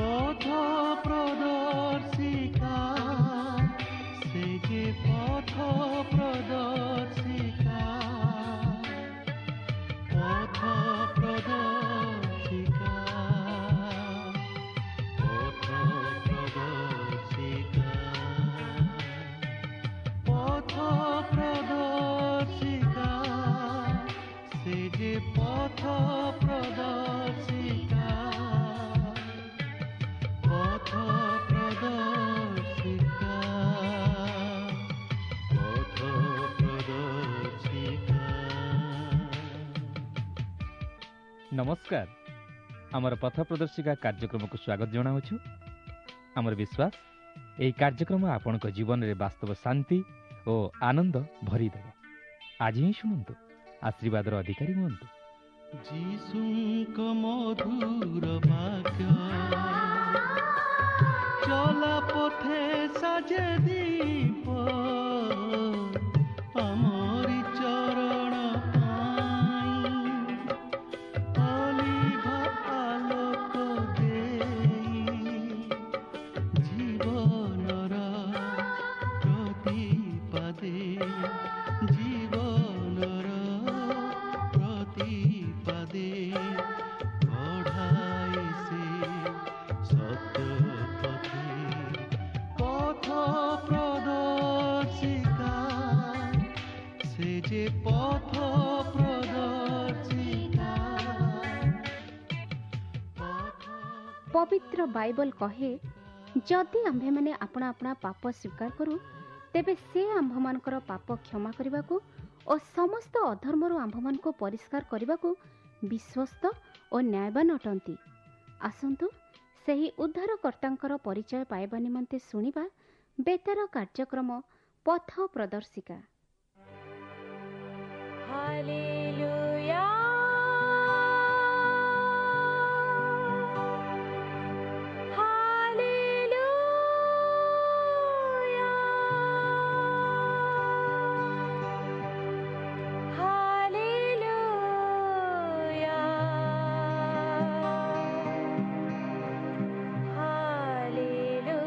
ପଥ ପ୍ରଦର୍ଶିକା, ସେ ଯେ ପଥ ପ୍ରଦର୍ଶିକା, ପଥ ପ୍ରଦର୍ଶିକା, ପଥ ପ୍ରଦର୍ଶିକା, ପଥ ପ୍ରଦର୍ଶିକା, ସେ ଯେ ପଥ ପ୍ରଦର୍ଶିକା, ପଥ ପ୍ରଦର୍ଶିକା, ପଥ ପ୍ରଦର୍ଶିକା। ନମସ୍କାର, ଆମର ପଥ ପ୍ରଦର୍ଶିକା କାର୍ଯ୍ୟକ୍ରମକୁ ସ୍ୱାଗତ ଜଣାଉଛୁ। ଆମର ବିଶ୍ୱାସ ଏହି କାର୍ଯ୍ୟକ୍ରମ ଆପଣଙ୍କ ଜୀବନରେ ବାସ୍ତବ ଶାନ୍ତି ଓ ଆନନ୍ଦ ଭରିଦେବ। ଆଜି ହିଁ ଶୁଣନ୍ତୁ, ଆଶୀର୍ବାଦର ଅଧିକାରୀ ହୁଅନ୍ତୁ। ଯୀଶୁଙ୍କ ମଧୁର ବାକ୍ୟ ଚଲା ପଥେ ସାଜେ ଦୀପ, ଆମରି ଚରଣ ପାଇଁ ଅଲିଭା ଆଲୋକ ଦେଇ, ଜୀବନର ପ୍ରତିପାଦେ, ଜୀବନର ପ୍ରତିପାଦେ କଢ଼ାଏ ସେ ସତ୍ୟ ପଥେ। ପଥ ପ୍ରଦର୍ଶିକା, ସେ ଯେ ପଥ ପ୍ରଦର୍ଶିକା, ପଥ ପବିତ୍ର ବାଇବଲ କହେ, ଯଦି ଆମ୍ଭେମାନେ ଆପଣା ଆପଣା ପାପ ସ୍ୱୀକାର କରୁ, ତେବେ ସେ ଆମ୍ଭମାନଙ୍କର ପାପ କ୍ଷମା କରିବାକୁ ଓ ସମସ୍ତ ଅଧର୍ମରୁ ଆମ୍ଭମାନଙ୍କୁ ପରିଷ୍କାର କରିବାକୁ ବିଶ୍ୱସ୍ତ ଓ ନ୍ୟାୟବାନ ଅଟନ୍ତି। ଆସନ୍ତୁ ସେହି ଉଦ୍ଧାରକର୍ତ୍ତାଙ୍କର ପରିଚୟ ପାଇବା ନିମନ୍ତେ ଶୁଣିବା ବେତାର କାର୍ଯ୍ୟକ୍ରମ ପଥ ପ୍ରଦର୍ଶିକା। Hallelujah. Hallelujah. Hallelujah. Hallelujah.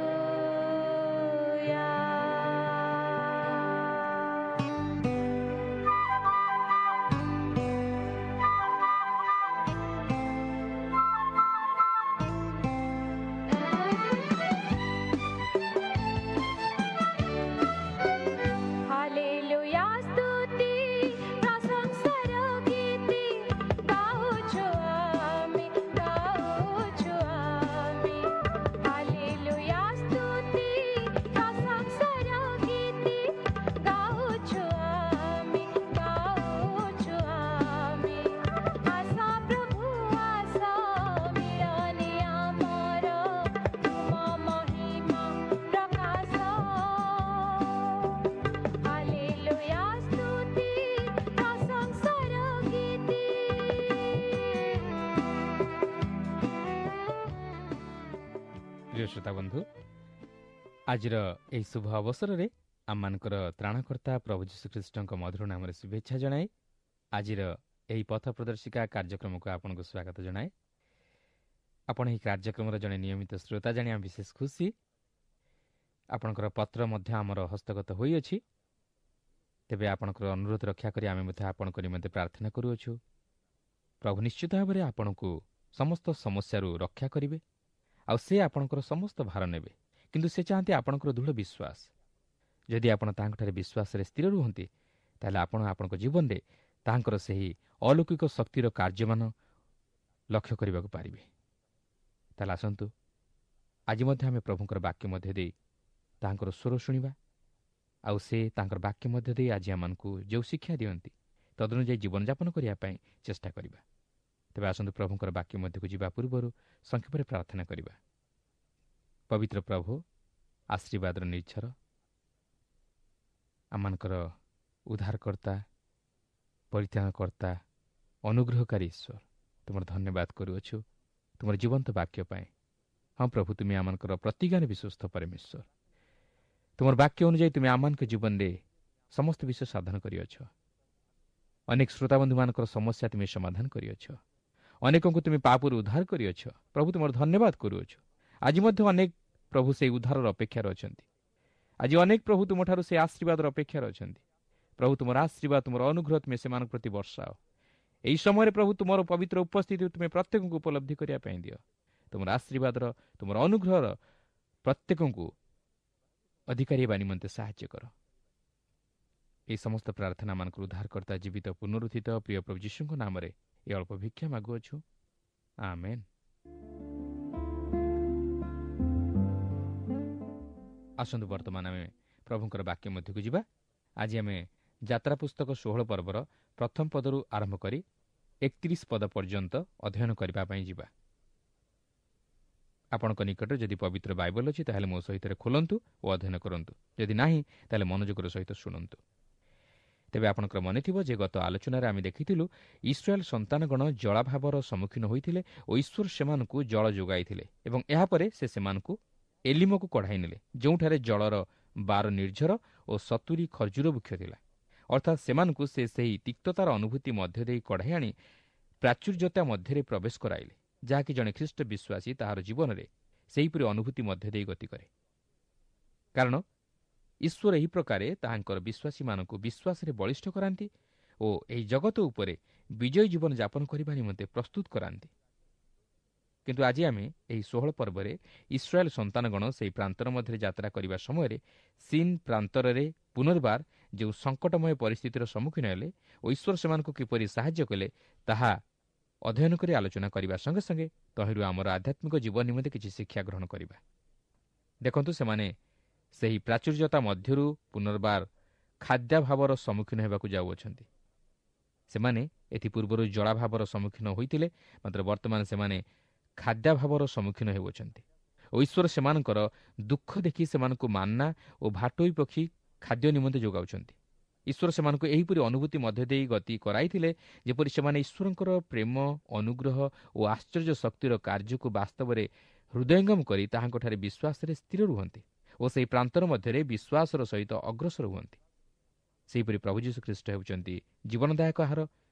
Hallelujah ସ୍ତୁତି ପ୍ରଶଂସାର ଗୀତି ଗାଉଛୁ ଆମେ, ଗାଉଛୁ ଆମେ। ହାଲେଲୁୟା ସ୍ତୁତି ପ୍ରଶଂସାର ଗୀତି ଗାଉଛୁ ଆମେ, ଗାଉଛୁ ଆମେ। ଆସ ପ୍ରଭୁ ଆସ ମିଳନେ ଆମର ତୁମ ମହିମା ପ୍ରକାଶ। ହାଲେଲୁୟା ସ୍ତୁତି ପ୍ରଶଂସାର ଗୀତି। ପ୍ରିୟ ଶ୍ରୋତା ବନ୍ଧୁ, ଆଜିର ଏହି ଶୁଭ ଅବସରରେ ଆମମାନଙ୍କର ତ୍ରାଣକର୍ତ୍ତା ପ୍ରଭୁ ଯୀଶୁଖ୍ରୀଷ୍ଟଙ୍କ ମଧୁର ନାମରେ ଶୁଭେଚ୍ଛା ଜଣାଇ ଆଜିର ଏହି ପଥ ପ୍ରଦର୍ଶିକା କାର୍ଯ୍ୟକ୍ରମକୁ ଆପଣଙ୍କୁ ସ୍ୱାଗତ ଜଣାଏ। ଆପଣ ଏହି କାର୍ଯ୍ୟକ୍ରମର ଜଣେ ନିୟମିତ ଶ୍ରୋତା ଜାଣି ଆମେ ବିଶେଷ ଖୁସି। ଆପଣଙ୍କର ପତ୍ର ମଧ୍ୟ ଆମର ହସ୍ତଗତ ହୋଇଅଛି। ତେବେ ଆପଣଙ୍କର ଅନୁରୋଧ ରକ୍ଷା କରି ଆମେ ମଧ୍ୟ ଆପଣଙ୍କ ନିମନ୍ତେ ପ୍ରାର୍ଥନା କରୁଅଛୁ। ପ୍ରଭୁ ନିଶ୍ଚିତ ଭାବରେ ଆପଣଙ୍କୁ ସମସ୍ତ ସମସ୍ୟାରୁ ରକ୍ଷା କରିବେ ଆଉ ସେ ଆପଣଙ୍କର ସମସ୍ତ ଭାର ନେବେ। କିନ୍ତୁ ସେ ଚାହାନ୍ତି ଆପଣଙ୍କର ଦୃଢ଼ ବିଶ୍ୱାସ। ଯଦି ଆପଣ ତାହାଙ୍କଠାରେ ବିଶ୍ୱାସରେ ସ୍ଥିର ରୁହନ୍ତି, ତାହେଲେ ଆପଣ ଆପଣଙ୍କ ଜୀବନରେ ତାହାଙ୍କର ସେହି ଅଲୌକିକ ଶକ୍ତିର କାର୍ଯ୍ୟମାନ ଲକ୍ଷ୍ୟ କରିବାକୁ ପାରିବେ। ତାହେଲେ ଆସନ୍ତୁ ଆଜି ମଧ୍ୟ ଆମେ ପ୍ରଭୁଙ୍କର ବାକ୍ୟ ମଧ୍ୟ ଦେଇ ତାହାଙ୍କର ସ୍ୱର ଶୁଣିବା ଆଉ ସେ ତାଙ୍କର ବାକ୍ୟ ମଧ୍ୟ ଦେଇ ଆଜି ଆମମାନଙ୍କୁ ଯେଉଁ ଶିକ୍ଷା ଦିଅନ୍ତି ତଦନୁଯାୟୀ ଜୀବନଯାପନ କରିବା ପାଇଁ ଚେଷ୍ଟା କରିବା। ତେବେ ଆସନ୍ତୁ ପ୍ରଭୁଙ୍କର ବାକ୍ୟ ମଧ୍ୟକୁ ଯିବା ପୂର୍ବରୁ ସଂକ୍ଷେପରେ ପ୍ରାର୍ଥନା କରିବା। ପବିତ୍ର ପ୍ରଭୁ, ଆଶୀର୍ବାଦର ନିର୍ଝର, ଆମମାନଙ୍କର ଉଦ୍ଧାରକର୍ତ୍ତା, ପରିତ୍ରାଣକର୍ତ୍ତା, ଅନୁଗ୍ରହକାରୀ ଈଶ୍ୱର, ତୁମର ଧନ୍ୟବାଦ କରୁଅଛୁ ତୁମର ଜୀବନ୍ତ ବାକ୍ୟ ପାଇଁ। ହଁ ପ୍ରଭୁ, ତୁମେ ଆମମାନଙ୍କର ପ୍ରତିଜ୍ଞାରେ ବିଶ୍ୱସ୍ତ ପରମେଶ୍ୱର। ତୁମର ବାକ୍ୟ ଅନୁଯାୟୀ ତୁମେ ଆମମାନଙ୍କ ଜୀବନରେ ସମସ୍ତ ବିଷୟ ସାଧନ କରିଅଛ। ଅନେକ ଶ୍ରୋତାବନ୍ଧୁମାନଙ୍କର ସମସ୍ୟା ତୁମେ ସମାଧାନ କରିଅଛ। ଅନେକଙ୍କୁ ତୁମେ ପାପରୁ ଉଦ୍ଧାର କରିଅଛ। ପ୍ରଭୁ, ତୁମର ଧନ୍ୟବାଦ କରୁଅଛୁ। ଆଜି ମଧ୍ୟ ଅନେକ ପ୍ରଭୁ ସେହି ଉଦ୍ଧାରର ଅପେକ୍ଷାରେ ଅଛନ୍ତି। ଆଜି ଅନେକ ପ୍ରଭୁ ତୁମଠାରୁ ସେ ଆଶୀର୍ବାଦର ଅପେକ୍ଷାରେ ଅଛନ୍ତି। ପ୍ରଭୁ ତୁମର ଆଶୀର୍ବାଦ, ତୁମର ଅନୁଗ୍ରହ ତୁମେ ସେମାନଙ୍କ ପ୍ରତି ବର୍ଷାଅ। ଏହି ସମୟରେ ପ୍ରଭୁ ତୁମର ପବିତ୍ର ଉପସ୍ଥିତି ତୁମେ ପ୍ରତ୍ୟେକଙ୍କୁ ଉପଲବ୍ଧି କରିବା ପାଇଁ ଦିଅ। ତୁମର ଆଶୀର୍ବାଦର, ତୁମର ଅନୁଗ୍ରହର ପ୍ରତ୍ୟେକଙ୍କୁ ଅଧିକାରୀ ହେବା ନିମନ୍ତେ ସାହାଯ୍ୟ କର। ଏହି ସମସ୍ତ ପ୍ରାର୍ଥନାମାନଙ୍କର ଉଦ୍ଧାରକର୍ତ୍ତା ଜୀବିତ ପୁନରୁତ୍ଥିତ ପ୍ରିୟ ପ୍ରଭୁ ଯୀଶୁଙ୍କ ନାମରେ ଏ ଅଳ୍ପ ଭିକ୍ଷା ମାଗୁଅଛୁ, ଆମେନ୍। ଆସନ୍ତୁ ବର୍ତ୍ତମାନ ଆମେ ପ୍ରଭୁଙ୍କର ବାକ୍ୟ ମଧ୍ୟକୁ ଯିବା। ଆଜି ଆମେ ଯାତ୍ରା ପୁସ୍ତକ 16 ପର୍ବର ପ୍ରଥମ ପଦରୁ ଆରମ୍ଭ କରି 31 ପଦ ପର୍ଯ୍ୟନ୍ତ ଅଧ୍ୟୟନ କରିବା ପାଇଁ ଯିବା। ଆପଣଙ୍କ ନିକଟରେ ଯଦି ପବିତ୍ର ବାଇବଲ ଅଛି ତାହେଲେ ମୋ ସହିତ ଖୋଲନ୍ତୁ ଓ ଅଧ୍ୟୟନ କରନ୍ତୁ। ଯଦି ନାହିଁ ତାହେଲେ ମନୋଯୋଗର ସହିତ ଶୁଣନ୍ତୁ। ତେବେ ଆପଣଙ୍କର ମନେଥିବ ଯେ ଗତ ଆଲୋଚନାରେ ଆମେ ଦେଖିଥିଲୁ ଇସ୍ରାଏଲ ସନ୍ତାନଗଣ ଜଳାଭାବର ସମ୍ମୁଖୀନ ହୋଇଥିଲେ ଓ ଈଶ୍ୱର ସେମାନଙ୍କୁ ଜଳ ଯୋଗାଇଥିଲେ ଏବଂ ଏହାପରେ ସେ ସେମାନଙ୍କୁ ଏଲିମକୁ କଢ଼ାଇ ନେଲେ, ଯେଉଁଠାରେ ଜଳର 12 ନିର୍ଝର ଓ 70 ଖର୍ଜୁର ବୃକ୍ଷ ଥିଲା। ଅର୍ଥାତ୍ ସେମାନଙ୍କୁ ସେ ସେହି ତିକ୍ତତାର ଅନୁଭୂତି ମଧ୍ୟ ଦେଇ କଢ଼ାଇ ଆଣି ପ୍ରାଚୁର୍ଯ୍ୟତା ମଧ୍ୟରେ ପ୍ରବେଶ କରାଇଲେ, ଯାହାକି ଜଣେ ଖ୍ରୀଷ୍ଟ ବିଶ୍ୱାସୀ ତାହାର ଜୀବନରେ ସେହିପରି ଅନୁଭୂତି ମଧ୍ୟ ଦେଇ ଗତି କରେ। କାରଣ ଈଶ୍ୱର ଏହି ପ୍ରକାରେ ତାହାଙ୍କର ବିଶ୍ୱାସୀମାନଙ୍କୁ ବିଶ୍ୱାସରେ ବଳିଷ୍ଠ କରାନ୍ତି ଓ ଏହି ଜଗତ ଉପରେ ବିଜୟୀ ଜୀବନ ଯାପନ କରିବା ନିମନ୍ତେ ପ୍ରସ୍ତୁତ କରାନ୍ତି। କିନ୍ତୁ ଆଜି ଆମେ ଏହି 16 ପର୍ବରେ ଇସ୍ରାଏଲ ସନ୍ତାନଗଣ ସେହି ପ୍ରାନ୍ତର ମଧ୍ୟରେ ଯାତ୍ରା କରିବା ସମୟରେ ସିନ୍ ପ୍ରାନ୍ତରରେ ପୁନର୍ବାର ଯେଉଁ ସଙ୍କଟମୟ ପରିସ୍ଥିତିର ସମ୍ମୁଖୀନ ହେଲେ ଓ ଈଶ୍ୱର ସେମାନଙ୍କୁ କିପରି ସାହାଯ୍ୟ କଲେ ତାହା ଅଧ୍ୟୟନ କରି ଆଲୋଚନା କରିବା ସଙ୍ଗେ ସଙ୍ଗେ ତହିଁରୁ ଆମର ଆଧ୍ୟାତ୍ମିକ ଜୀବନ ନିମନ୍ତେ କିଛି ଶିକ୍ଷା ଗ୍ରହଣ କରିବା। ଦେଖନ୍ତୁ, ସେମାନେ ସେହି ପ୍ରାଚୁର୍ଯ୍ୟତା ମଧ୍ୟରୁ ପୁନର୍ବାର ଖାଦ୍ୟାଭାବର ସମ୍ମୁଖୀନ ହେବାକୁ ଯାଉଅଛନ୍ତି। ସେମାନେ ଏଥିପୂର୍ବରୁ ଜଳାଭାବର ସମ୍ମୁଖୀନ ହୋଇଥିଲେ, ମାତ୍ର ବର୍ତ୍ତମାନ ସେମାନେ ଖାଦ୍ୟାଭାବର ସମ୍ମୁଖୀନ ହେଉଅଛନ୍ତି ଓ ଈଶ୍ୱର ସେମାନଙ୍କର ଦୁଃଖ ଦେଖି ସେମାନଙ୍କୁ ମାନ୍ନା ଓ ଭାଟୋଇ ପକ୍ଷୀ ଖାଦ୍ୟ ନିମନ୍ତେ ଯୋଗାଉଛନ୍ତି। ଈଶ୍ୱର ସେମାନଙ୍କୁ ଏହିପରି ଅନୁଭୂତି ମଧ୍ୟ ଦେଇ ଗତି କରାଇଥିଲେ ଯେପରି ସେମାନେ ଈଶ୍ୱରଙ୍କର ପ୍ରେମ, ଅନୁଗ୍ରହ ଓ ଆଶ୍ଚର୍ଯ୍ୟ ଶକ୍ତିର କାର୍ଯ୍ୟକୁ ବାସ୍ତବରେ ହୃଦୟଙ୍ଗମ କରି ତାହାଙ୍କଠାରେ ବିଶ୍ୱାସରେ ସ୍ଥିର ରୁହନ୍ତି ଓ ସେହି ପ୍ରାନ୍ତର ମଧ୍ୟରେ ବିଶ୍ୱାସର ସହିତ ଅଗ୍ରସର ହୁଅନ୍ତି। ସେହିପରି ପ୍ରଭୁ ଯୀଶୁଖ୍ରୀଷ୍ଟ ହେଉଛନ୍ତି ଜୀବନଦାୟକ ଆହାର।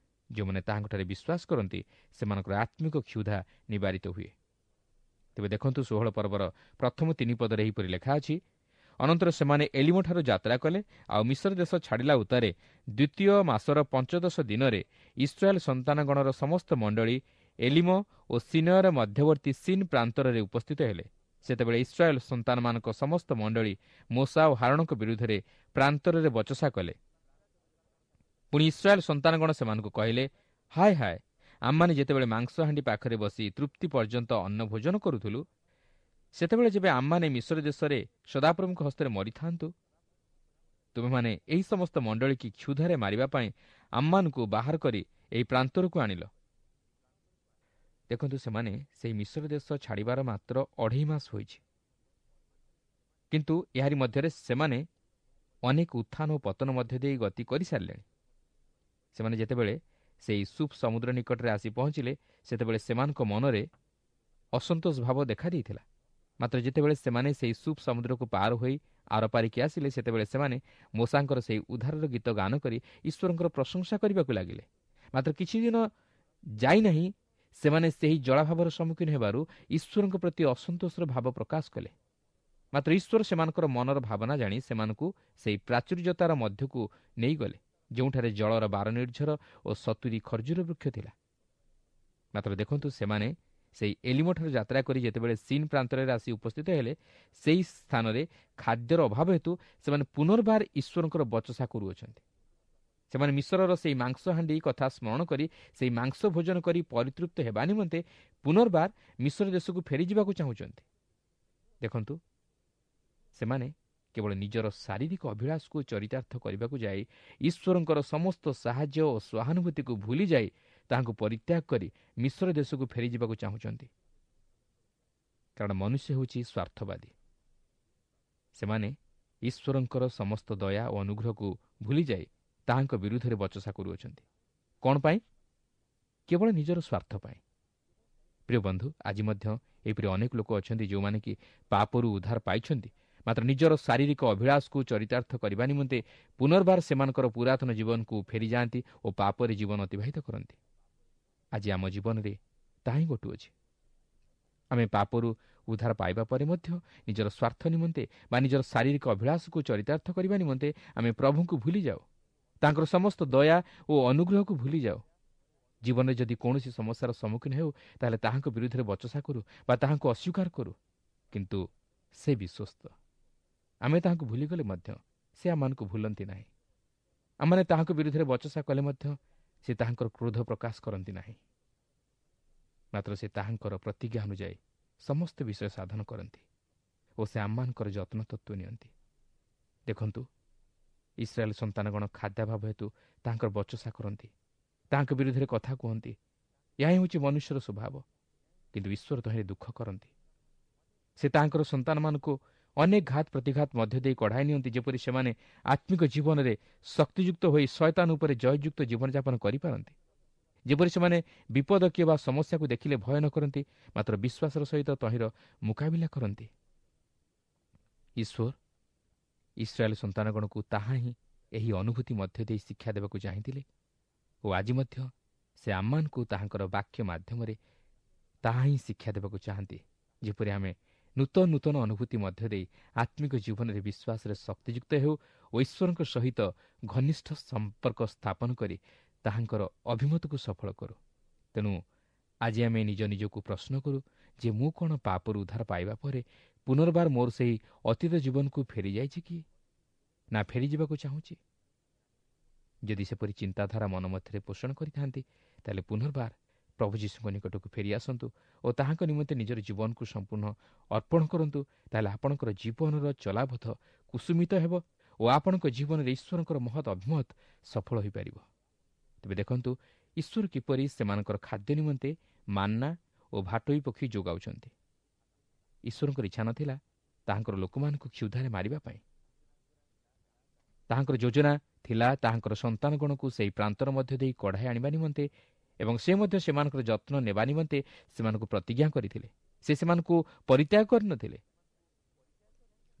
ଯେଉଁମାନେ ତାହାଙ୍କଠାରେ ବିଶ୍ୱାସ କରନ୍ତି ସେମାନଙ୍କର ଆତ୍ମିକ କ୍ଷୁଧା ନିବାରିତ ହୁଏ। ତେବେ ଦେଖନ୍ତୁ, 16 ପର୍ବର ପ୍ରଥମ 3 ପଦରେ ଏହିପରି ଲେଖା ଅଛି, ଅନନ୍ତର ସେମାନେ ଏଲିମଠାରୁ ଯାତ୍ରା କଲେ, ଆଉ ମିଶର ଦେଶ ଛାଡ଼ିଲା ଉତ୍ତାରେ ଦ୍ୱିତୀୟ ମାସର 15 ଦିନରେ ଇସ୍ରାଏଲ ସନ୍ତାନଗଣର ସମସ୍ତ ମଣ୍ଡଳୀ ଏଲିମ ଓ ସିନୟର ମଧ୍ୟବର୍ତ୍ତୀ ସିନ୍ ପ୍ରାନ୍ତରରେ ଉପସ୍ଥିତ ହେଲେ। ସେତେବେଳେ ଇସ୍ରାଏଲ ସନ୍ତାନମାନଙ୍କ ସମସ୍ତ ମଣ୍ଡଳୀ ମୋଶା ଓ ହାରୋଣଙ୍କ ବିରୁଦ୍ଧରେ ପ୍ରାନ୍ତରରେ ବଚସା କଲେ। ପୁଣି ଇସ୍ରାଏଲ ସନ୍ତାନଗଣ ସେମାନଙ୍କୁ କହିଲେ, ହାୟ ହାୟ, ଆମମାନେ ଯେତେବେଳେ ମାଂସହାଣ୍ଡି ପାଖରେ ବସି ତୃପ୍ତି ପର୍ଯ୍ୟନ୍ତ ଅନ୍ନ ଭୋଜନ କରୁଥିଲୁ, ସେତେବେଳେ ଯେବେ ଆମମାନେ ମିଶର ଦେଶରେ ସଦାପ୍ରଭୁଙ୍କ ହସ୍ତରେ ମରିଥାନ୍ତୁ, ତୁମେମାନେ ଏହି ସମସ୍ତ ମଣ୍ଡଳୀକି କ୍ଷୁଧାରେ ମାରିବା ପାଇଁ ଆମମାନଙ୍କୁ ବାହାର କରି ଏହି ପ୍ରାନ୍ତରକୁ ଆଣିଲ। ଦେଖନ୍ତୁ, ସେମାନେ ସେହି ମିଶର ଦେଶ ଛାଡ଼ିବାର ମାତ୍ର 2.5 ମାସ ହୋଇଛି, କିନ୍ତୁ ଏହାରି ମଧ୍ୟରେ ସେମାନେ ଅନେକ ଉତ୍ଥାନ ଓ ପତନ ମଧ୍ୟ ଦେଇ ଗତି କରିସାରିଲେଣି। ସେମାନେ ଯେତେବେଳେ ସେହି ସୁପ୍ ସମୁଦ୍ର ନିକଟରେ ଆସି ପହଞ୍ଚିଲେ, ସେତେବେଳେ ସେମାନଙ୍କ ମନରେ ଅସନ୍ତୋଷ ଭାବ ଦେଖାଦେଇଥିଲା। ମାତ୍ର ଯେତେବେଳେ ସେମାନେ ସେହି ସୁପ୍ ସମୁଦ୍ରକୁ ପାର ହୋଇ ଆରପାରିକି ଆସିଲେ, ସେତେବେଳେ ସେମାନେ ମୋଶାଙ୍କର ସେହି ଉଦ୍ଧାରର ଗୀତ ଗାନ କରି ଈଶ୍ୱରଙ୍କର ପ୍ରଶଂସା କରିବାକୁ ଲାଗିଲେ। ମାତ୍ର କିଛି ଦିନ ଯାଇନାହିଁ, ସେମାନେ ସେହି ଜଳାଭାବର ସମ୍ମୁଖୀନ ହେବାରୁ ଈଶ୍ୱରଙ୍କ ପ୍ରତି ଅସନ୍ତୋଷର ଭାବ ପ୍ରକାଶ କଲେ। ମାତ୍ର ଈଶ୍ୱର ସେମାନଙ୍କର ମନର ଭାବନା ଜାଣି ସେମାନଙ୍କୁ ସେହି ପ୍ରାଚୁର୍ଯ୍ୟତାର ମଧ୍ୟକୁ ନେଇଗଲେ, ଯେଉଁଠାରେ ଜଳର 12 ନିର୍ଝର ଓ 70 ଖର୍ଜୁର ବୃକ୍ଷ ଥିଲା। ମାତ୍ର ଦେଖନ୍ତୁ, ସେମାନେ ସେହି ଏଲିମଠାରୁ ଯାତ୍ରା କରି ଯେତେବେଳେ ସିନ୍ ପ୍ରାନ୍ତରରେ ଆସି ଉପସ୍ଥିତ ହେଲେ, ସେହି ସ୍ଥାନରେ ଖାଦ୍ୟର ଅଭାବ ହେତୁ ସେମାନେ ପୁନର୍ବାର ଈଶ୍ୱରଙ୍କର ବଚସା କରୁଅଛନ୍ତି। ସେମାନେ ମିଶରର ସେହି ମାଂସହାଣ୍ଡି କଥା ସ୍ମରଣ କରି ସେହି ମାଂସ ଭୋଜନ କରି ପରିତୃପ୍ତ ହେବା ନିମନ୍ତେ ପୁନର୍ବାର ମିଶର ଦେଶକୁ ଫେରିଯିବାକୁ ଚାହୁଁଛନ୍ତି। ଦେଖନ୍ତୁ, ସେମାନେ କେବଳ ନିଜର ଶାରୀରିକ ଅଭିଳାଷକୁ ଚରିତାର୍ଥ କରିବାକୁ ଯାଇ ଈଶ୍ୱରଙ୍କର ସମସ୍ତ ସାହାଯ୍ୟ ଓ ସହାନୁଭୂତିକୁ ଭୁଲିଯାଇ ତାହାଙ୍କୁ ପରିତ୍ୟାଗ କରି ମିଶର ଦେଶକୁ ଫେରିଯିବାକୁ ଚାହୁଁଛନ୍ତି। କାରଣ ମନୁଷ୍ୟ ହେଉଛି ସ୍ୱାର୍ଥବାଦୀ। ସେମାନେ ଈଶ୍ୱରଙ୍କର ସମସ୍ତ ଦୟା ଓ ଅନୁଗ୍ରହକୁ ଭୁଲିଯାଇ ତାହାଙ୍କ ବିରୁଦ୍ଧରେ ବଚସା କରୁଅଛନ୍ତି। କ'ଣ ପାଇଁ? କେବଳ ନିଜର ସ୍ୱାର୍ଥ ପାଇଁ। ପ୍ରିୟ ବନ୍ଧୁ, ଆଜି ମଧ୍ୟ ଏହିପରି ଅନେକ ଲୋକ ଅଛନ୍ତି ଯେଉଁମାନେ କି ପାପରୁ ଉଦ୍ଧାର ପାଇଛନ୍ତି, ମାତ୍ର ନିଜର ଶାରୀରିକ ଅଭିଳାଷକୁ ଚରିତାର୍ଥ କରିବା ନିମନ୍ତେ ପୁନର୍ବାର ସେମାନଙ୍କର ପୁରାତନ ଜୀବନକୁ ଫେରିଯାଆନ୍ତି ଓ ପାପରେ ଜୀବନ ଅତିବାହିତ କରନ୍ତି। ଆଜି ଆମ ଜୀବନରେ ତାହା ହିଁ ଘଟୁଅଛି। ଆମେ ପାପରୁ ଉଦ୍ଧାର ପାଇବା ପରେ ମଧ୍ୟ ନିଜର ସ୍ୱାର୍ଥ ନିମନ୍ତେ ବା ନିଜର ଶାରୀରିକ ଅଭିଳାଷକୁ ଚରିତାର୍ଥ କରିବା ନିମନ୍ତେ ଆମେ ପ୍ରଭୁଙ୍କୁ ଭୁଲିଯାଉ, ତାଙ୍କର ସମସ୍ତ ଦୟା ଓ ଅନୁଗ୍ରହକୁ ଭୁଲିଯାଉ। ଜୀବନରେ ଯଦି କୌଣସି ସମସ୍ୟାର ସମ୍ମୁଖୀନ ହେଉ, ତାହେଲେ ତାହାଙ୍କ ବିରୁଦ୍ଧରେ ବଚସା କରୁ ବା ତାହାଙ୍କୁ ଅସ୍ୱୀକାର କରୁ, କିନ୍ତୁ ସେ ବିଶ୍ୱସ୍ତ। ଆମେ ତାହାଙ୍କୁ ଭୁଲିଗଲେ ମଧ୍ୟ ସେ ଆମମାନଙ୍କୁ ଭୁଲନ୍ତି ନାହିଁ। ଆମମାନେ ତାହାଙ୍କ ବିରୁଦ୍ଧରେ ବଚସା କଲେ ମଧ୍ୟ ସେ ତାହାଙ୍କର କ୍ରୋଧ ପ୍ରକାଶ କରନ୍ତି ନାହିଁ, ମାତ୍ର ସେ ତାହାଙ୍କର ପ୍ରତିଜ୍ଞା ଅନୁଯାୟୀ ସମସ୍ତ ବିଷୟ ସାଧନ କରନ୍ତି ଓ ସେ ଆମମାନଙ୍କର ଯତ୍ନ ତତ୍ତ୍ୱ ନିଅନ୍ତି। ଦେଖନ୍ତୁ, ଇସ୍ରାଏଲ ସନ୍ତାନଗଣ ଖାଦ୍ୟାଭାବ ହେତୁ ତାହାଙ୍କର ବଚସା କରନ୍ତି, ତାହାଙ୍କ ବିରୁଦ୍ଧରେ କଥା କୁହନ୍ତି। ଏହା ହେଉଛି ମନୁଷ୍ୟର ସ୍ୱଭାବ, କିନ୍ତୁ ଈଶ୍ୱର ତହିଁରେ ଦୁଃଖ କରନ୍ତି। ସେ ତାହାଙ୍କର ସନ୍ତାନମାନଙ୍କୁ ଅନେକ ଘାତ ପ୍ରତିଘାତ ମଧ୍ୟ ଦେଇ କଢ଼ାଇ ନିଅନ୍ତି, ଯେପରି ସେମାନେ ଆତ୍ମିକ ଜୀବନରେ ଶକ୍ତିଯୁକ୍ତ ହୋଇ ଶୟତାନ ଉପରେ ଜୟଯୁକ୍ତ ଜୀବନଯାପନ କରିପାରନ୍ତି, ଯେପରି ସେମାନେ ବିପଦ କିମ୍ବା ସମସ୍ୟାକୁ ଦେଖିଲେ ଭୟ ନ କରନ୍ତି, ମାତ୍ର ବିଶ୍ୱାସର ସହିତ ତହିଁର ମୁକାବିଲା କରନ୍ତି। ଈଶ୍ୱର ଇସ୍ରାଏଲ ସନ୍ତାନଗଣକୁ ତାହା ହିଁ ଏହି ଅନୁଭୂତି ମଧ୍ୟ ଦେଇ ଶିକ୍ଷା ଦେବାକୁ ଚାହିଁଥିଲେ ଓ ଆଜି ମଧ୍ୟ ସେ ଆମମାନଙ୍କୁ ତାହାଙ୍କର ବାକ୍ୟ ମାଧ୍ୟମରେ ତାହା ହିଁ ଶିକ୍ଷା ଦେବାକୁ ଚାହାନ୍ତି, ଯେପରି ଆମେ ନୂତନ ନୂତନ ଅନୁଭୂତି ମଧ୍ୟ ଦେଇ ଆତ୍ମିକ ଜୀବନରେ ବିଶ୍ୱାସରେ ଶକ୍ତିଯୁକ୍ତ ହେଉ ଓ ଈଶ୍ୱରଙ୍କ ସହିତ ଘନିଷ୍ଠ ସମ୍ପର୍କ ସ୍ଥାପନ କରି ତାହାଙ୍କର ଅଭିମତକୁ ସଫଳ କରୁ। ତେଣୁ ଆଜି ଆମେ ନିଜ ନିଜକୁ ପ୍ରଶ୍ନ କରୁ ଯେ ମୁଁ କ'ଣ ପାପରୁ ଉଦ୍ଧାର ପାଇବା ପରେ ପୁନର୍ବାର ମୋର ସେହି ଅତୀତ ଜୀବନକୁ ଫେରିଯାଇଛି କି ନା ଫେରିଯିବାକୁ ଚାହୁଁଛି? ଯଦି ସେପରି ଚିନ୍ତାଧାରା ମନ ମଧ୍ୟରେ ପୋଷଣ କରିଥାନ୍ତି, ତାହେଲେ ପୁନର୍ବାର ପ୍ରଭୁ ଯୀଶୁଙ୍କ ନିକଟକୁ ଫେରି ଆସନ୍ତୁ ଓ ତାହାଙ୍କ ନିମନ୍ତେ ନିଜର ଜୀବନକୁ ସମ୍ପୂର୍ଣ୍ଣ ଅର୍ପଣ କରନ୍ତୁ। ତାହେଲେ ଆପଣଙ୍କର ଜୀବନର ଚଲାପଥ କୁସୁମିତ ହେବ ଓ ଆପଣଙ୍କ ଜୀବନରେ ଈଶ୍ୱରଙ୍କର ମହତ୍ ଅଭିମତ ସଫଳ ହୋଇପାରିବ। ତେବେ ଦେଖନ୍ତୁ, ଈଶ୍ୱର କିପରି ସେମାନଙ୍କର ଖାଦ୍ୟ ନିମନ୍ତେ ମାନ୍ନା ଓ ଭାଟୋଇ ପକ୍ଷୀ ଯୋଗାଉଛନ୍ତି। ଈଶ୍ୱରଙ୍କର ଇଚ୍ଛା ନଥିଲା ତାହାଙ୍କର ଲୋକମାନଙ୍କୁ କ୍ଷୁଧାରେ ମାରିବା ପାଇଁ। ତାହାଙ୍କର ଯୋଜନା ଥିଲା ତାହାଙ୍କର ସନ୍ତାନଗଣକୁ ସେହି ପ୍ରାନ୍ତର ମଧ୍ୟ ଦେଇ କଢ଼ାଇ ଆଣିବା ନିମନ୍ତେ ଏବଂ ସେ ମଧ୍ୟ ସେମାନଙ୍କର ଯତ୍ନ ନେବା ନିମନ୍ତେ ସେମାନଙ୍କୁ ପ୍ରତିଜ୍ଞା କରିଥିଲେ। ସେ ସେମାନଙ୍କୁ ପରିତ୍ୟାଗ କରିନଥିଲେ।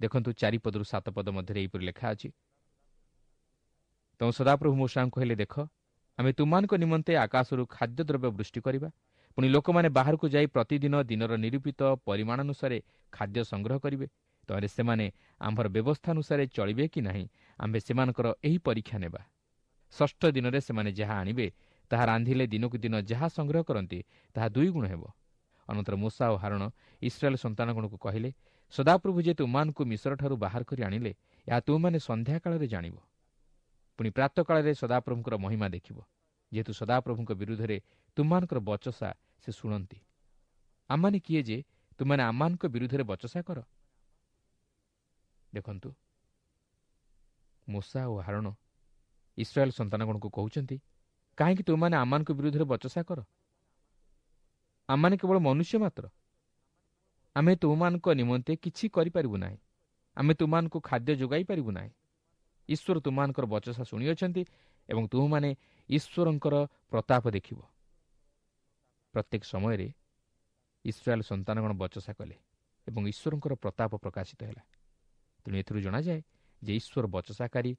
ଦେଖନ୍ତୁ, 4 ପଦରୁ 7 ପଦ ମଧ୍ୟରେ ଏହିପରି ଲେଖା ଅଛି, ତେଣୁ ସଦାପ୍ରଭୁ ମୋଶାଙ୍କୁ କହିଲେ, ଦେଖ, ଆମେ ତୁମମାନଙ୍କ ନିମନ୍ତେ ଆକାଶରୁ ଖାଦ୍ୟଦ୍ରବ୍ୟ ବୃଷ୍ଟି କରିବା, ପୁଣି ଲୋକମାନେ ବାହାରକୁ ଯାଇ ପ୍ରତିଦିନ ଦିନର ନିରୂପିତ ପରିମାଣାନୁସାରେ ଖାଦ୍ୟ ସଂଗ୍ରହ କରିବେ। ତହିଁରେ ସେମାନେ ଆମ୍ଭର ବ୍ୟବସ୍ଥା ଅନୁସାରେ ଚଳିବେ କି ନାହିଁ, ଆମ୍ଭେ ସେମାନଙ୍କର ଏହି ପରୀକ୍ଷା ନେବା। ଷଷ୍ଠ ଦିନରେ ସେମାନେ ଯାହା ଆଣିବେ ତାହା ରାନ୍ଧିଲେ ଦିନକୁ ଦିନ ଯାହା ସଂଗ୍ରହ କରନ୍ତି ତାହା 2 ଗୁଣ ହେବ। ଅନନ୍ତର ମୋଶା ଓ ହାରଣ ଇସ୍ରାଏଲ ସନ୍ତାନଗଣକୁ କହିଲେ, ସଦାପ୍ରଭୁ ଯେ ତୁମମାନଙ୍କୁ ମିଶରଠାରୁ ବାହାର କରି ଆଣିଲେ, ଏହା ତୁମମାନେ ସନ୍ଧ୍ୟାକାଳରେ ଜାଣିବ। ପୁଣି ପ୍ରାତଃକାଳରେ ସଦାପ୍ରଭୁଙ୍କର ମହିମା ଦେଖିବ, ଯେହେତୁ ସଦାପ୍ରଭୁଙ୍କ ବିରୁଦ୍ଧରେ ତୁମମାନଙ୍କର ବଚସା ସେ ଶୁଣନ୍ତି। ଆମମାନେ କିଏ ଯେ ତୁମମାନେ ଆମମାନଙ୍କ ବିରୁଦ୍ଧରେ ବଚସା କର? ଦେଖନ୍ତୁ, ମୋଶା ଓ ହାରଣ ଇସ୍ରାଏଲ ସନ୍ତାନଗଣକୁ କହୁଛନ୍ତି, କାହିଁକି ତୁମମାନେ ଆମମାନଙ୍କ ବିରୁଦ୍ଧରେ ବଚସା କର? ଆମମାନେ କେବଳ ମନୁଷ୍ୟ ମାତ୍ର, ଆମେ ତୁମମାନଙ୍କ ନିମନ୍ତେ କିଛି କରିପାରିବୁ ନାହିଁ, ଆମେ ତୁମମାନଙ୍କୁ ଖାଦ୍ୟ ଯୋଗାଇ ପାରିବୁ ନାହିଁ। ଈଶ୍ୱର ତୁମମାନଙ୍କର ବଚସା ଶୁଣିଅଛନ୍ତି ଏବଂ ତୁମମାନେ ଈଶ୍ୱରଙ୍କର ପ୍ରତାପ ଦେଖିବ। ପ୍ରତ୍ୟେକ ସମୟରେ ଇସ୍ରାଏଲ ସନ୍ତାନଗଣ ବଚସା କଲେ ଏବଂ ଈଶ୍ୱରଙ୍କର ପ୍ରତାପ ପ୍ରକାଶିତ ହେଲା। ତେଣୁ ଏଥିରୁ ଜଣାଯାଏ ଯେ ଈଶ୍ୱର ବଚସାକାରୀ,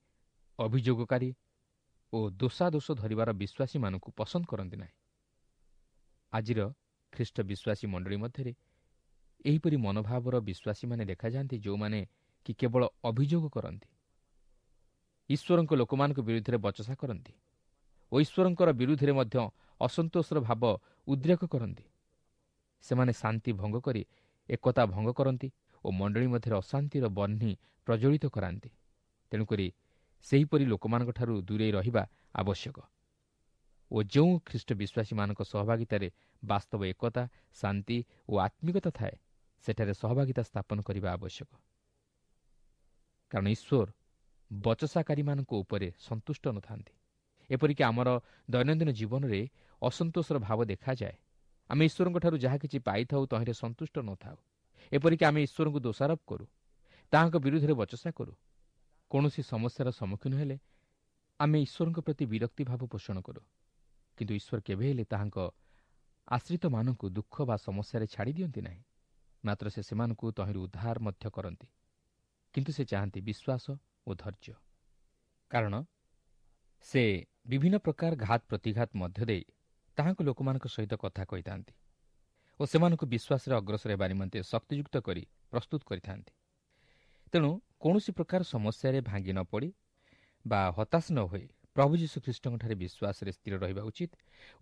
ଅଭିଯୋଗକାରୀ ଓ ଦୋଷାଦୋଷ ଧରିବାର ବିଶ୍ୱାସୀମାନଙ୍କୁ ପସନ୍ଦ କରନ୍ତି ନାହିଁ। ଆଜିର ଖ୍ରୀଷ୍ଟ ବିଶ୍ୱାସୀ ମଣ୍ଡଳୀ ମଧ୍ୟରେ ଏହିପରି ମନୋଭାବର ବିଶ୍ୱାସୀମାନେ ଦେଖାଯାଆନ୍ତି, ଯେଉଁମାନେ କି କେବଳ ଅଭିଯୋଗ କରନ୍ତି, ଈଶ୍ୱରଙ୍କ ଲୋକମାନଙ୍କ ବିରୁଦ୍ଧରେ ବଚସା କରନ୍ତି ଓ ଈଶ୍ୱରଙ୍କର ବିରୁଦ୍ଧରେ ମଧ୍ୟ ଅସନ୍ତୋଷର ଭାବ ଉଦ୍ରେକ କରନ୍ତି। ସେମାନେ ଶାନ୍ତି ଭଙ୍ଗ କରି ଏକତା ଭଙ୍ଗ କରନ୍ତି ଓ ମଣ୍ଡଳୀ ମଧ୍ୟରେ ଅଶାନ୍ତିର ବହ୍ନି ପ୍ରଜ୍ୱଳିତ କରାନ୍ତି। ତେଣୁକରି ସେହିପରି ଲୋକମାନଙ୍କଠାରୁ ଦୂରେଇ ରହିବା ଆବଶ୍ୟକ ଓ ଯେଉଁ ଖ୍ରୀଷ୍ଟ ବିଶ୍ୱାସୀମାନଙ୍କ ସହଭାଗିତାରେ ବାସ୍ତବ ଏକତା, ଶାନ୍ତି ଓ ଆତ୍ମିକତା ଥାଏ, ସେଠାରେ ସହଭାଗିତା ସ୍ଥାପନ କରିବା ଆବଶ୍ୟକ। କାରଣ ଈଶ୍ୱର ବଚସାକାରୀମାନଙ୍କ ଉପରେ ସନ୍ତୁଷ୍ଟ ନଥାନ୍ତି। ଏପରିକି ଆମର ଦୈନନ୍ଦିନ ଜୀବନରେ ଅସନ୍ତୋଷର ଭାବ ଦେଖାଯାଏ। ଆମେ ଈଶ୍ୱରଙ୍କଠାରୁ ଯାହା କିଛି ପାଇଥାଉ ତହିଁରେ ସନ୍ତୁଷ୍ଟ ନଥାଉ। ଏପରିକି ଆମେ ଈଶ୍ୱରଙ୍କୁ ଦୋଷାରୋପ କରୁ, ତାହାଙ୍କ ବିରୁଦ୍ଧରେ ବଚସା କରୁ। କୌଣସି ସମସ୍ୟାର ସମ୍ମୁଖୀନ ହେଲେ ଆମେ ଈଶ୍ୱରଙ୍କ ପ୍ରତି ବିରକ୍ତି ଭାବ ପୋଷଣ କରୁ। କିନ୍ତୁ ଈଶ୍ୱର କେବେ ହେଲେ ତାହାଙ୍କ ଆଶ୍ରିତମାନଙ୍କୁ ଦୁଃଖ ବା ସମସ୍ୟାରେ ଛାଡ଼ି ଦିଅନ୍ତି ନାହିଁ, ମାତ୍ର ସେ ସେମାନଙ୍କୁ ତହିଁରୁ ଉଦ୍ଧାର ମଧ୍ୟ କରନ୍ତି। କିନ୍ତୁ ସେ ଚାହାନ୍ତି ବିଶ୍ୱାସ ଓ ଧୈର୍ଯ୍ୟ, କାରଣ ସେ ବିଭିନ୍ନ ପ୍ରକାର ଘାତ ପ୍ରତିଘାତ ମଧ୍ୟ ଦେଇ ତାହାଙ୍କ ଲୋକମାନଙ୍କ ସହିତ କଥା କହିଥାନ୍ତି ଓ ସେମାନଙ୍କୁ ବିଶ୍ୱାସରେ ଅଗ୍ରସର ହେବା ନିମନ୍ତେ ଶକ୍ତିଯୁକ୍ତ କରି ପ୍ରସ୍ତୁତ କରିଥାନ୍ତି। ତେଣୁ କୌଣସି ପ୍ରକାର ସମସ୍ୟାରେ ଭାଙ୍ଗି ନ ପଡ଼ି ବା ହତାଶ ନ ହୋଇ ପ୍ରଭୁ ଯୀଶୁଖ୍ରୀଷ୍ଟଙ୍କଠାରେ ବିଶ୍ୱାସରେ ସ୍ଥିର ରହିବା ଉଚିତ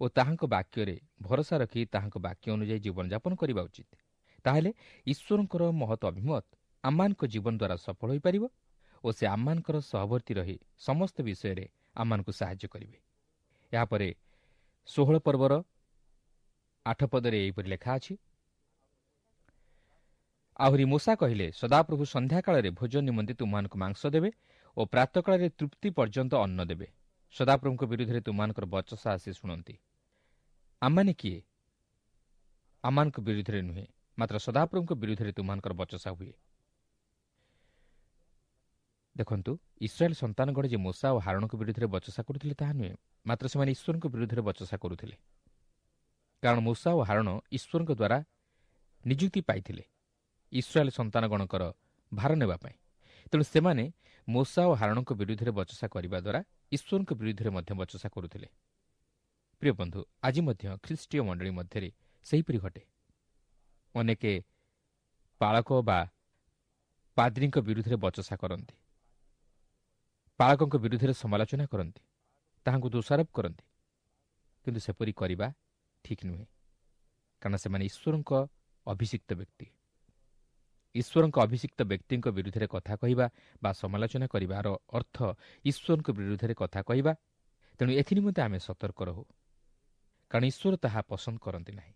ଓ ତାହାଙ୍କ ବାକ୍ୟରେ ଭରସା ରଖି ତାହାଙ୍କ ବାକ୍ୟ ଅନୁଯାୟୀ ଜୀବନଯାପନ କରିବା ଉଚିତ। ତାହେଲେ ଈଶ୍ୱରଙ୍କର ମହତ ଅଭିମତ ଆମମାନଙ୍କ ଜୀବନ ଦ୍ୱାରା ସଫଳ ହୋଇପାରିବ ଓ ସେ ଆମମାନଙ୍କର ସହବର୍ତ୍ତୀ ରହି ସମସ୍ତ ବିଷୟରେ ଆମମାନଙ୍କୁ ସାହାଯ୍ୟ କରିବେ। ଏହାପରେ 16 ପର୍ବର 8 ପଦରେ ଏହିପରି ଲେଖା ଅଛି, ଆହୁରି ମୋଶା କହିଲେ, ସଦାପ୍ରଭୁ ସନ୍ଧ୍ୟାକାଳରେ ଭୋଜନ ନିମନ୍ତେ ତୁମମାନଙ୍କୁ ମାଂସ ଦେବେ ଓ ପ୍ରାତଃକାଳରେ ତୃପ୍ତି ପର୍ଯ୍ୟନ୍ତ ଅନ୍ନ ଦେବେ। ସଦାପ୍ରଭୁଙ୍କ ବିରୁଦ୍ଧରେ ତୁମମାନଙ୍କର ବଚସା ଆସି ଶୁଣନ୍ତି। ଆମମାନେ କିଏ? ଆମମାନଙ୍କ ବିରୁଦ୍ଧରେ ନୁହେଁ, ମାତ୍ର ସଦାପ୍ରଭୁଙ୍କ ବିରୁଦ୍ଧରେ ତୁମମାନଙ୍କର ବଚସା ହୁଏ। ଦେଖନ୍ତୁ, ଇସ୍ରାଏଲ ସନ୍ତାନଗଣ ଯେ ମୋଶା ଓ ହାରଣଙ୍କ ବିରୁଦ୍ଧରେ ବଚସା କରୁଥିଲେ ତାହା ନୁହେଁ, ମାତ୍ର ସେମାନେ ଈଶ୍ୱରଙ୍କ ବିରୁଦ୍ଧରେ ବଚସା କରୁଥିଲେ। କାରଣ ମୋଶା ଓ ହାରଣ ଈଶ୍ୱରଙ୍କ ଦ୍ୱାରା ନିଯୁକ୍ତି ପାଇଥିଲେ ଇସ୍ରାଏଲ ସନ୍ତାନଗଣଙ୍କର ଭାର ନେବା ପାଇଁ। ତେଣୁ ସେମାନେ ମୋଶା ଓ ହାରଣଙ୍କ ବିରୁଦ୍ଧରେ ବଚସା କରିବା ଦ୍ୱାରା ଈଶ୍ୱରଙ୍କ ବିରୁଦ୍ଧରେ ମଧ୍ୟ ବଚସା କରୁଥିଲେ। ପ୍ରିୟ ବନ୍ଧୁ, ଆଜି ମଧ୍ୟ ଖ୍ରୀଷ୍ଟୀୟ ମଣ୍ଡଳୀ ମଧ୍ୟରେ ସେହିପରି ଘଟେ। ଅନେକେ ପାଳକ ବା ପାଦ୍ରୀଙ୍କ ବିରୁଦ୍ଧରେ ବଚସା କରନ୍ତି, ପାଳକଙ୍କ ବିରୁଦ୍ଧରେ ସମାଲୋଚନା କରନ୍ତି, ତାହାଙ୍କୁ ଦୋଷାରୋପ କରନ୍ତି। କିନ୍ତୁ ସେପରି କରିବା ଠିକ୍ ନୁହେଁ, କାରଣ ସେମାନେ ଈଶ୍ୱରଙ୍କ ଅଭିଷିକ୍ତ ବ୍ୟକ୍ତି। ଈଶ୍ୱରଙ୍କ ଅଭିଷିକ୍ତ ବ୍ୟକ୍ତିଙ୍କ ବିରୁଦ୍ଧରେ କଥା କହିବା ବା ସମାଲୋଚନା କରିବାର ଅର୍ଥ ଈଶ୍ୱରଙ୍କ ବିରୁଦ୍ଧରେ କଥା କହିବା। ତେଣୁ ଏଥିନିମନ୍ତେ ଆମେ ସତର୍କ ରହୁ, କାରଣ ଈଶ୍ୱର ତାହା ପସନ୍ଦ କରନ୍ତି ନାହିଁ।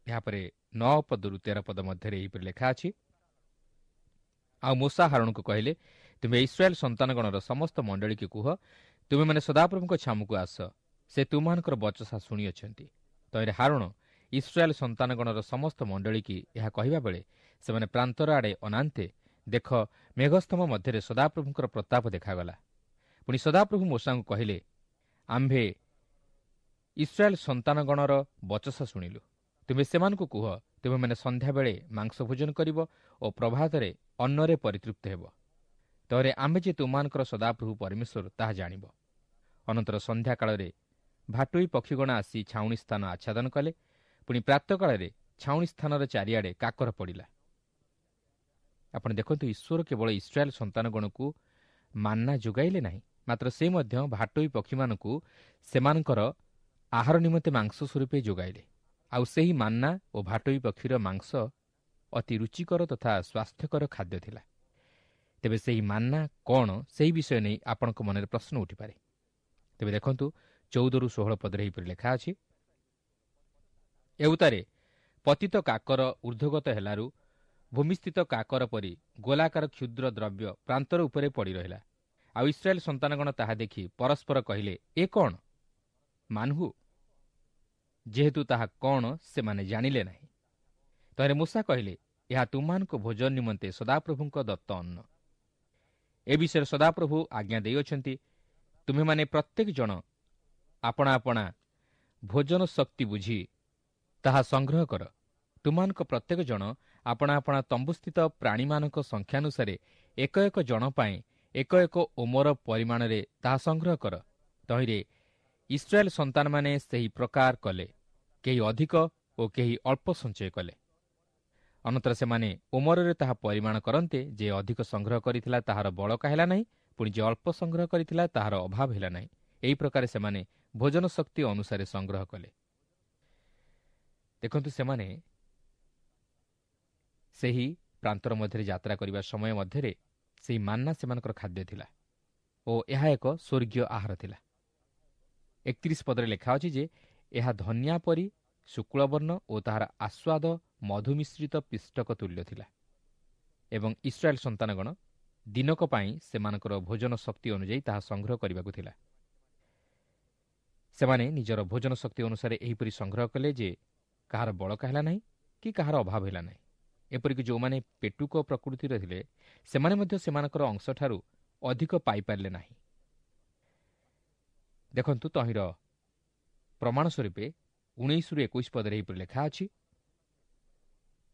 ଏହାପରେ 9 ପଦରୁ 13 ପଦ ମଧ୍ୟରେ ଏହିପରି ଲେଖା ଅଛି, ଆଉ ମୋଶା ହାରଣକୁ କହିଲେ, ତୁମେ ଇସ୍ରାଏଲ ସନ୍ତାନଗଣର ସମସ୍ତ ମଣ୍ଡଳୀକୁ କୁହ, ତୁମେମାନେ ସଦାପ୍ରଭୁଙ୍କ ଛାମୁକୁ ଆସ, ସେ ତୁମମାନଙ୍କର ବଚସା ଶୁଣିଅଛନ୍ତି। ତହିଁରେ ହାରଣ ଇସ୍ରାଏଲ ସନ୍ତାନଗଣର ସମସ୍ତ ମଣ୍ଡଳୀକି ଏହା କହିବା ବେଳେ ସେମାନେ ପ୍ରାନ୍ତର ଆଡ଼େ ଅନାନ୍ତେ, ଦେଖ, ମେଘସ୍ତମ୍ଭ ମଧ୍ୟରେ ସଦାପ୍ରଭୁଙ୍କର ପ୍ରତାପ ଦେଖାଗଲା। ପୁଣି ସଦାପ୍ରଭୁ ମୋଶାଙ୍କୁ କହିଲେ, ଆମ୍ଭେ ଇସ୍ରାଏଲ ସନ୍ତାନଗଣର ବଚସା ଶୁଣିଲୁ। ତୁମେ ସେମାନଙ୍କୁ କୁହ, ତୁମେମାନେ ସନ୍ଧ୍ୟାବେଳେ ମାଂସ ଭୋଜନ କରିବ ଓ ପ୍ରଭାତରେ ଅନ୍ନରେ ପରିତୃପ୍ତ ହେବ। ତହିଁରେ ଆମ୍ଭେ ଯେ ତୁମମାନଙ୍କର ସଦାପ୍ରଭୁ ପରମେଶ୍ୱର ତାହା ଜାଣିବ। ଅନନ୍ତର ସନ୍ଧ୍ୟାକାଳରେ ଭାଟୋଇ ପକ୍ଷୀଗଣ ଆସି ଛାଉଣି ସ୍ଥାନ ଆଚ୍ଛାଦନ କଲେ। ପୁଣି ପ୍ରାତଃକାଳରେ ଛାଉଣି ସ୍ଥାନର ଚାରିଆଡ଼େ କାକର ପଡ଼ିଲା। ଆପଣ ଦେଖନ୍ତୁ, ଈଶ୍ୱର କେବଳ ଇସ୍ରାଏଲ ସନ୍ତାନଗଣକୁ ମାନ୍ନା ଯୋଗାଇଲେ ନାହିଁ, ମାତ୍ର ସେ ମଧ୍ୟ ଭାଟୋଇ ପକ୍ଷୀମାନଙ୍କୁ ସେମାନଙ୍କର ଆହାର ନିମନ୍ତେ ମାଂସ ସ୍ୱରୂପେ ଯୋଗାଇଲେ। ଆଉ ସେହି ମାନ୍ନା ଓ ଭାଟୋଇ ପକ୍ଷୀର ମାଂସ ଅତି ରୁଚିକର ତଥା ସ୍ୱାସ୍ଥ୍ୟକର ଖାଦ୍ୟ ଥିଲା। ତେବେ ସେହି ମାନ୍ନା କ'ଣ, ସେହି ବିଷୟ ନେଇ ଆପଣଙ୍କ ମନରେ ପ୍ରଶ୍ନ ଉଠିପାରେ। ତେବେ ଦେଖନ୍ତୁ, 14ରୁ 16 ପଦରେ ଏହିପରି ଲେଖା ଅଛି, ଏଉତାରେ ପତିତ କାକର ଊର୍ଦ୍ଧ୍ୱଗତ ହେଲାରୁ ଭୂମିସ୍ଥିତ କାକର ପରି ଗୋଲାକାର କ୍ଷୁଦ୍ର ଦ୍ରବ୍ୟ ପ୍ରାନ୍ତର ଉପରେ ପଡ଼ି ରହିଲା। ଆଉ ଇସ୍ରାଏଲ ସନ୍ତାନଗଣ ତାହା ଦେଖି ପରସ୍ପର କହିଲେ, ଏ କ'ଣ? ମାନହୁ। ଯେହେତୁ ତାହା କ'ଣ ସେମାନେ ଜାଣିଲେ ନାହିଁ। ତହିଁରେ ମୋଶା କହିଲେ, ଏହା ତୁମମାନଙ୍କ ଭୋଜନ ନିମନ୍ତେ ସଦାପ୍ରଭୁଙ୍କ ଦତ୍ତ ଅନ୍ନ। ଏ ବିଷୟରେ ସଦାପ୍ରଭୁ ଆଜ୍ଞା ଦେଇଅଛନ୍ତି, ତୁମେମାନେ ପ୍ରତ୍ୟେକ ଜଣ ଆପଣା ଆପଣା ଭୋଜନ ଶକ୍ତି ବୁଝି ତାହା ସଂଗ୍ରହ କର। ତୁମମାନଙ୍କ ପ୍ରତ୍ୟେକ ଜଣ ଆପଣା ଆପଣା ତମ୍ବୁସ୍ଥିତ ପ୍ରାଣୀମାନଙ୍କ ସଂଖ୍ୟାନୁସାରେ ଏକ ଏକ ଜଣ ପାଇଁ ଏକ ଏକ ଓମର ପରିମାଣରେ ତାହା ସଂଗ୍ରହ କର। ତହିଁରେ ଇସ୍ରାଏଲ ସନ୍ତାନମାନେ ସେହି ପ୍ରକାର କଲେ, କେହି ଅଧିକ ଓ କେହି ଅଳ୍ପ ସଞ୍ଚୟ କଲେ। ଅନନ୍ତର ସେମାନେ ଓମରରେ ତାହା ପରିମାଣ କରନ୍ତେ, ଯେ ଅଧିକ ସଂଗ୍ରହ କରିଥିଲା ତାହାର ବଳକା ହେଲା ନାହିଁ, ପୁଣି ଯେ ଅଳ୍ପ ସଂଗ୍ରହ କରିଥିଲା ତାହାର ଅଭାବ ହେଲା ନାହିଁ। ଏହି ପ୍ରକାର ସେମାନେ ଭୋଜନ ଶକ୍ତି ଅନୁସାରେ ସଂଗ୍ରହ କଲେ। ଦେଖନ୍ତୁ, ସେମାନେ ସେହି ପ୍ରାନ୍ତର ମଧ୍ୟରେ ଯାତ୍ରା କରିବା ସମୟ ମଧ୍ୟରେ ସେହି ମାନ୍ନା ସେମାନଙ୍କର ଖାଦ୍ୟ ଥିଲା ଓ ଏହା ଏକ ସ୍ୱର୍ଗୀୟ ଆହାର ଥିଲା। 31 ପଦରେ ଲେଖା ଅଛି ଯେ ଏହା ଧନିଆ ପରି ଶୁକ୍ଳବର୍ଣ୍ଣ ଓ ତାହାର ଆସ୍ୱାଦ ମଧୁମିଶ୍ରିତ ପିଷ୍ଟକ ତୁଲ୍ୟ ଥିଲା। ଏବଂ ଇସ୍ରାଏଲ ସନ୍ତାନଗଣ ଦିନକ ପାଇଁ ସେମାନଙ୍କର ଭୋଜନ ଶକ୍ତି ଅନୁଯାୟୀ ତାହା ସଂଗ୍ରହ କରିବାକୁ ଥିଲା। ସେମାନେ ନିଜର ଭୋଜନ ଶକ୍ତି ଅନୁସାରେ ଏହିପରି ସଂଗ୍ରହ କଲେ ଯେ କାହାର ବଳକା ହେଲା ନାହିଁ କି କାହାର ଅଭାବ ହେଲା ନାହିଁ। ଏପରିକି ଯେଉଁମାନେ ପେଟୁକ ପ୍ରକୃତିର ଥିଲେ ସେମାନେ ମଧ୍ୟ ସେମାନଙ୍କର ଅଂଶଠାରୁ ଅଧିକ ପାଇପାରିଲେ ନାହିଁ। ଦେଖନ୍ତୁ, ତହିଁର ପ୍ରମାଣ ସ୍ୱରୂପେ 19ରୁ 21 ପଦରେ ଏହିପରି ଲେଖା ଅଛି,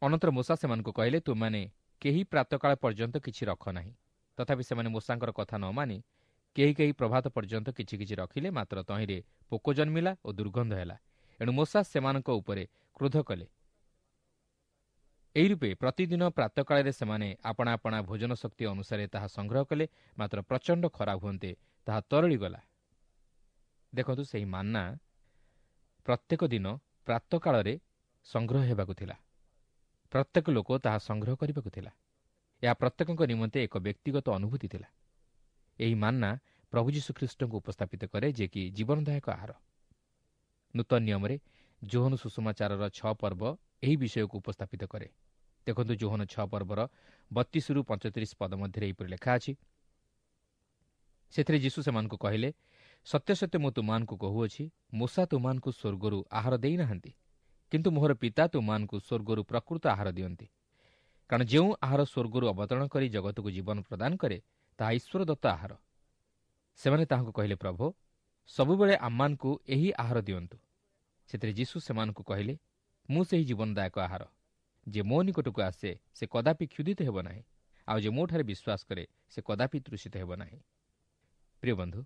ଅନନ୍ତର ମୋଶା ସେମାନଙ୍କୁ କହିଲେ, ତୁମେମାନେ କେହି ପ୍ରାତଃକାଳ ପର୍ଯ୍ୟନ୍ତ କିଛି ରଖ ନାହିଁ। ତଥାପି ସେମାନେ ମୋଶାଙ୍କର କଥା ନ ମାନି କେହି କେହି ପ୍ରଭାତ ପର୍ଯ୍ୟନ୍ତ କିଛି କିଛି ରଖିଲେ, ମାତ୍ର ତହିଁରେ ପୋକ ଜନ୍ମିଲା ଓ ଦୁର୍ଗନ୍ଧ ହେଲା। ଏଣୁ ମୋଶା ସେମାନଙ୍କ ଉପରେ କ୍ରୋଧ କଲେ। ଏହି ରୂପେ ପ୍ରତିଦିନ ପ୍ରାତଃକାଳରେ ସେମାନେ ଆପଣା ଆପଣା ଭୋଜନ ଶକ୍ତି ଅନୁସାରେ ତାହା ସଂଗ୍ରହ କଲେ, ମାତ୍ର ପ୍ରଚଣ୍ଡ ଖରା ହୁଅନ୍ତେ ତାହା ତରଳିଗଲା। ଦେଖନ୍ତୁ, ସେହି ମାନ୍ନା ପ୍ରତ୍ୟେକ ଦିନ ପ୍ରାତଃକାଳରେ ସଂଗ୍ରହ ହେବାକୁ ଥିଲା। ପ୍ରତ୍ୟେକ ଲୋକ ତାହା ସଂଗ୍ରହ କରିବାକୁ ଥିଲା। ଏହା ପ୍ରତ୍ୟେକଙ୍କ ନିମନ୍ତେ ଏକ ବ୍ୟକ୍ତିଗତ ଅନୁଭୂତି ଥିଲା। ଏହି ମାନ୍ନା ପ୍ରଭୁ ଯୀଶୁଖ୍ରୀଷ୍ଟଙ୍କୁ ଉପସ୍ଥାପିତ କରେ, ଯେ କି ଜୀବନଦାୟକ ଆହାର। ନୂତନ ନିୟମରେ ଯୋହନ ସୁଷମାଚାରର 6 ପର୍ବ ଏହି ବିଷୟକୁ ଉପସ୍ଥାପିତ କରେ। ଦେଖନ୍ତୁ, ଯୋହନ 6 ପର୍ବର 32ରୁ 35 ପଦ ମଧ୍ୟରେ ଏହିପରି ଲେଖା ଅଛି। ସେଥିରେ ଯୀଶୁ ସେମାନଙ୍କୁ କହିଲେ, ସତ୍ୟ ସତ୍ୟ ମୁଁ ତୁମମାନଙ୍କୁ କହୁଅଛି, ମୋଶା ତୁମମାନଙ୍କୁ ସ୍ୱର୍ଗରୁ ଆହାର ଦେଇନାହାନ୍ତି, କିନ୍ତୁ ମୋହର ପିତା ତୁମମାନଙ୍କୁ ସ୍ୱର୍ଗରୁ ପ୍ରକୃତ ଆହାର ଦିଅନ୍ତି। କାରଣ ଯେଉଁ ଆହାର ସ୍ୱର୍ଗରୁ ଅବତରଣ କରି ଜଗତକୁ ଜୀବନ ପ୍ରଦାନ କରେ, ତାହା ଈଶ୍ୱର ଦତ୍ତ ଆହାର। ସେମାନେ ତାହାଙ୍କୁ କହିଲେ, ପ୍ରଭୁ, ସବୁବେଳେ ଆମମାନଙ୍କୁ ଏହି ଆହାର ଦିଅନ୍ତୁ। ସେଥିରେ ଯୀଶୁ ସେମାନଙ୍କୁ କହିଲେ, ମୁଁ ସେହି ଜୀବନଦାୟକ ଆହାର। ଯେ ମୋ ନିକଟକୁ ଆସେ ସେ କଦାପି କ୍ଷୁଧିତ ହେବ ନାହିଁ, ଆଉ ଯେ ମୋଠାରେ ବିଶ୍ୱାସ କରେ ସେ କଦାପି ତୃଷିତ ହେବ ନାହିଁ। ପ୍ରିୟ ବନ୍ଧୁ,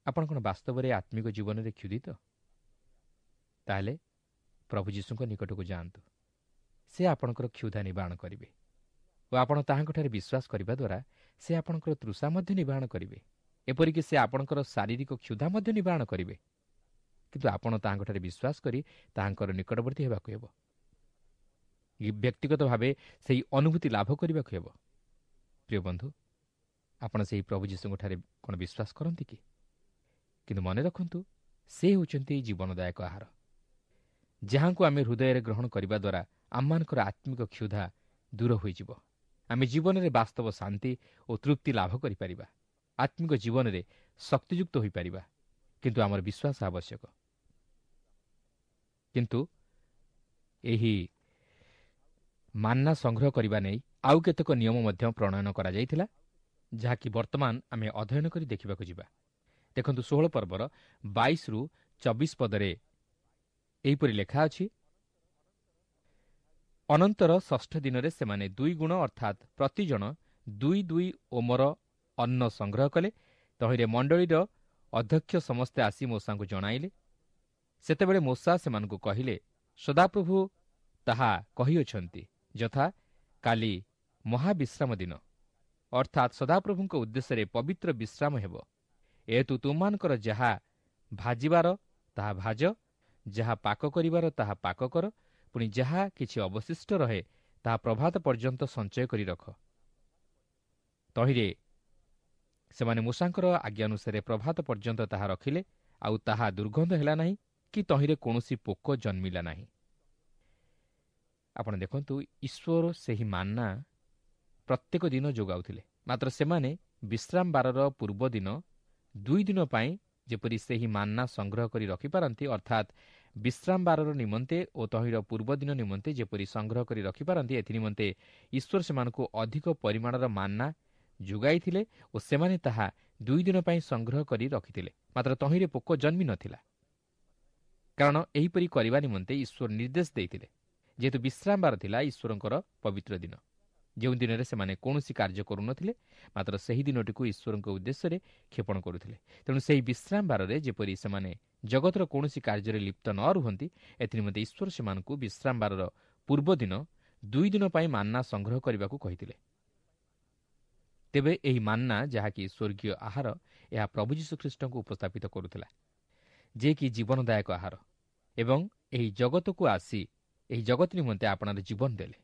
ଆପଣ କ'ଣ ବାସ୍ତବରେ ଆତ୍ମିକ ଜୀବନରେ କ୍ଷୁଧିତ? ତାହେଲେ ପ୍ରଭୁ ଯୀଶୁଙ୍କ ନିକଟକୁ ଯାଆନ୍ତୁ। ସେ ଆପଣଙ୍କର କ୍ଷୁଧା ନିବାରଣ କରିବେ ଓ ଆପଣ ତାହାଙ୍କଠାରେ ବିଶ୍ୱାସ କରିବା ଦ୍ୱାରା ସେ ଆପଣଙ୍କର ତୃଷା ମଧ୍ୟ ନିବାରଣ କରିବେ। ଏପରିକି ସେ ଆପଣଙ୍କର ଶାରୀରିକ କ୍ଷୁଧା ମଧ୍ୟ ନିବାରଣ କରିବେ। କିନ୍ତୁ ଆପଣ ତାହାଙ୍କଠାରେ ବିଶ୍ୱାସ କରି ତାହାଙ୍କର ନିକଟବର୍ତ୍ତୀ ହେବାକୁ ହେବ। ବ୍ୟକ୍ତିଗତ ଭାବେ ସେହି ଅନୁଭୂତି ଲାଭ କରିବାକୁ ହେବ। ପ୍ରିୟ ବନ୍ଧୁ, ଆପଣ ସେହି ପ୍ରଭୁ ଯୀଶୁଙ୍କଠାରେ କ'ଣ ବିଶ୍ୱାସ କରନ୍ତି କି? କିନ୍ତୁ ମନେ ରଖନ୍ତୁ, ସେ ହେଉଛନ୍ତି ଜୀବନଦାୟକ ଆହାର, ଯାହାଙ୍କୁ ଆମେ ହୃଦୟରେ ଗ୍ରହଣ କରିବା ଦ୍ୱାରା ଆମମାନଙ୍କର ଆତ୍ମିକ କ୍ଷୁଧା ଦୂର ହୋଇଯିବ। ଆମେ ଜୀବନରେ ବାସ୍ତବ ଶାନ୍ତି ଓ ତୃପ୍ତି ଲାଭ କରିପାରିବା, ଆତ୍ମିକ ଜୀବନରେ ଶକ୍ତିଯୁକ୍ତ ହୋଇପାରିବା। କିନ୍ତୁ ଆମର ବିଶ୍ୱାସ ଆବଶ୍ୟକ। କିନ୍ତୁ ଏହି ମାନ୍ନା ସଂଗ୍ରହ କରିବା ନେଇ ଆଉ କେତେକ ନିୟମ ମଧ୍ୟ ପ୍ରଣୟନ କରାଯାଇଥିଲା, ଯାହାକି ବର୍ତ୍ତମାନ ଆମେ ଅଧ୍ୟୟନ କରି ଦେଖିବାକୁ ଯିବା। ଦେଖନ୍ତୁ, 16 ପର୍ବର 22ରୁ 24 ପଦରେ ଏହିପରି ଲେଖା ଅଛି, ଅନନ୍ତର ଷଷ୍ଠ ଦିନରେ ସେମାନେ 2 ଗୁଣ ଅର୍ଥାତ୍ ପ୍ରତିଜଣ 2 2 ଓମର ଅନ୍ନ ସଂଗ୍ରହ କଲେ। ତହିଁରେ ମଣ୍ଡଳୀର ଅଧ୍ୟକ୍ଷ ସମସ୍ତେ ଆସି ମୋଶାଙ୍କୁ ଜଣାଇଲେ। ସେତେବେଳେ ମୋଶା ସେମାନଙ୍କୁ କହିଲେ, ସଦାପ୍ରଭୁ ତାହା କହିଅଛନ୍ତି, ଯଥା କାଲି ମହାବିଶ୍ରାମ ଦିନ, ଅର୍ଥାତ୍ ସଦାପ୍ରଭୁଙ୍କ ଉଦ୍ଦେଶ୍ୟରେ ପବିତ୍ର ବିଶ୍ରାମ ହେବ। ଏହେତୁ ତୁମମାନଙ୍କର ଯାହା ଭାଜିବାର ତାହା ଭାଜ, ଯାହା ପାକ କରିବାର ତାହା ପାକ କର, ପୁଣି ଯାହା କିଛି ଅବଶିଷ୍ଟ ରହେ ତାହା ପ୍ରଭାତ ପର୍ଯ୍ୟନ୍ତ ସଞ୍ଚୟ କରି ରଖ। ତହିଁରେ ସେମାନେ ମୂଷାଙ୍କର ଆଜ୍ଞାନୁସାରେ ପ୍ରଭାତ ପର୍ଯ୍ୟନ୍ତ ତାହା ରଖିଲେ, ଆଉ ତାହା ଦୁର୍ଗନ୍ଧ ହେଲା ନାହିଁ କି ତହିଁରେ କୌଣସି ପୋକ ଜନ୍ମିଲା ନାହିଁ। ଆପଣ ଦେଖନ୍ତୁ, ଈଶ୍ୱର ସେହି ମାନ୍ନା ପ୍ରତ୍ୟେକ ଦିନ ଯୋଗାଉଥିଲେ, ମାତ୍ର ସେମାନେ ବିଶ୍ରାମ ବାରର ପୂର୍ବ ଦିନ 2 ଦିନ ପାଇଁ ଯେପରି ସେହି ମାନ୍ନା ସଂଗ୍ରହ କରି ରଖିପାରନ୍ତି, ଅର୍ଥାତ୍ ବିଶ୍ରାମ ବାରର ନିମନ୍ତେ ଓ ତହିଁର ପୂର୍ବ ଦିନ ନିମନ୍ତେ ଯେପରି ସଂଗ୍ରହ କରି ରଖିପାରନ୍ତି, ଏଥିନିମନ୍ତେ ଈଶ୍ୱର ସେମାନଙ୍କୁ ଅଧିକ ପରିମାଣର ମାନ୍ନା ଯୋଗାଇଥିଲେ ଓ ସେମାନେ ତାହା 2 ଦିନ ପାଇଁ ସଂଗ୍ରହ କରି ରଖିଥିଲେ, ମାତ୍ର ତହିଁରେ ପୋକ ଜନ୍ମି ନଥିଲା। କାରଣ ଏହିପରି କରିବା ନିମନ୍ତେ ଈଶ୍ୱର ନିର୍ଦ୍ଦେଶ ଦେଇଥିଲେ। ଯେହେତୁ ବିଶ୍ରାମ ବାର ଥିଲା ଈଶ୍ୱରଙ୍କର ପବିତ୍ର ଦିନ, ଯେଉଁ ଦିନରେ ସେମାନେ କୌଣସି କାର୍ଯ୍ୟ କରୁନଥିଲେ, ମାତ୍ର ସେହି ଦିନଟିକୁ ଈଶ୍ୱରଙ୍କ ଉଦ୍ଦେଶ୍ୟରେ କ୍ଷେପଣ କରୁଥିଲେ। ତେଣୁ ସେହି ବିଶ୍ରାମ ବାରରେ ଯେପରି ସେମାନେ ଜଗତର କୌଣସି କାର୍ଯ୍ୟରେ ଲିପ୍ତ ନ ରୁହନ୍ତି, ଏଥିନିମନ୍ତେ ଈଶ୍ୱର ସେମାନଙ୍କୁ ବିଶ୍ରାମ ବାରର ପୂର୍ବ ଦିନ 2 ଦିନ ପାଇଁ ମାନ୍ନା ସଂଗ୍ରହ କରିବାକୁ କହିଥିଲେ। ତେବେ ଏହି ମାନ୍ନା, ଯାହାକି ସ୍ୱର୍ଗୀୟ ଆହାର, ଏହା ପ୍ରଭୁ ଯୀଶୁଖ୍ରୀଷ୍ଟଙ୍କୁ ଉପସ୍ଥାପିତ କରୁଥିଲା, ଯିଏକି ଜୀବନଦାୟକ ଆହାର ଏବଂ ଏହି ଜଗତକୁ ଆସି ଏହି ଜଗତ ନିମନ୍ତେ ଆପଣାର ଜୀବନ ଦେଲେ।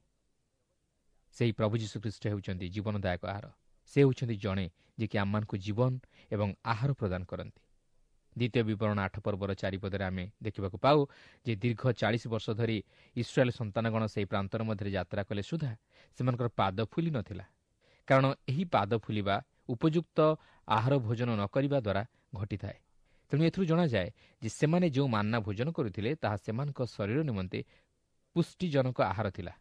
ସେହି ପ୍ରଭୁ ଯୀଶୁଖ୍ରୀଷ୍ଟ ହେଉଛନ୍ତି ଜୀବନଦାୟକ ଆହାର। ସେ ହେଉଛନ୍ତି ଜଣେ ଯିଏକି ଆମମାନଙ୍କୁ ଜୀବନ ଏବଂ ଆହାର ପ୍ରଦାନ କରନ୍ତି। ଦ୍ୱିତୀୟ ବିବରଣ 8 ପର୍ବର 4 ପଦରେ ଆମେ ଦେଖିବାକୁ ପାଉ ଯେ ଦୀର୍ଘ 40 ବର୍ଷ ଧରି ଇସ୍ରାଏଲ ସନ୍ତାନଗଣ ସେହି ପ୍ରାନ୍ତର ମଧ୍ୟରେ ଯାତ୍ରା କଲେ ସୁଦ୍ଧା ସେମାନଙ୍କର ପାଦ ଫୁଲି ନଥିଲା, କାରଣ ଏହି ପାଦ ଫୁଲିବା ଉପଯୁକ୍ତ ଆହାର ଭୋଜନ ନ କରିବା ଦ୍ୱାରା ଘଟିଥାଏ। ତେଣୁ ଏଥିରୁ ଜଣାଯାଏ ଯେ ସେମାନେ ଯେଉଁ ମାନ୍ନା ଭୋଜନ କରୁଥିଲେ ତାହା ସେମାନଙ୍କ ଶରୀର ନିମନ୍ତେ ପୁଷ୍ଟିଜନକ ଆହାର ଥିଲା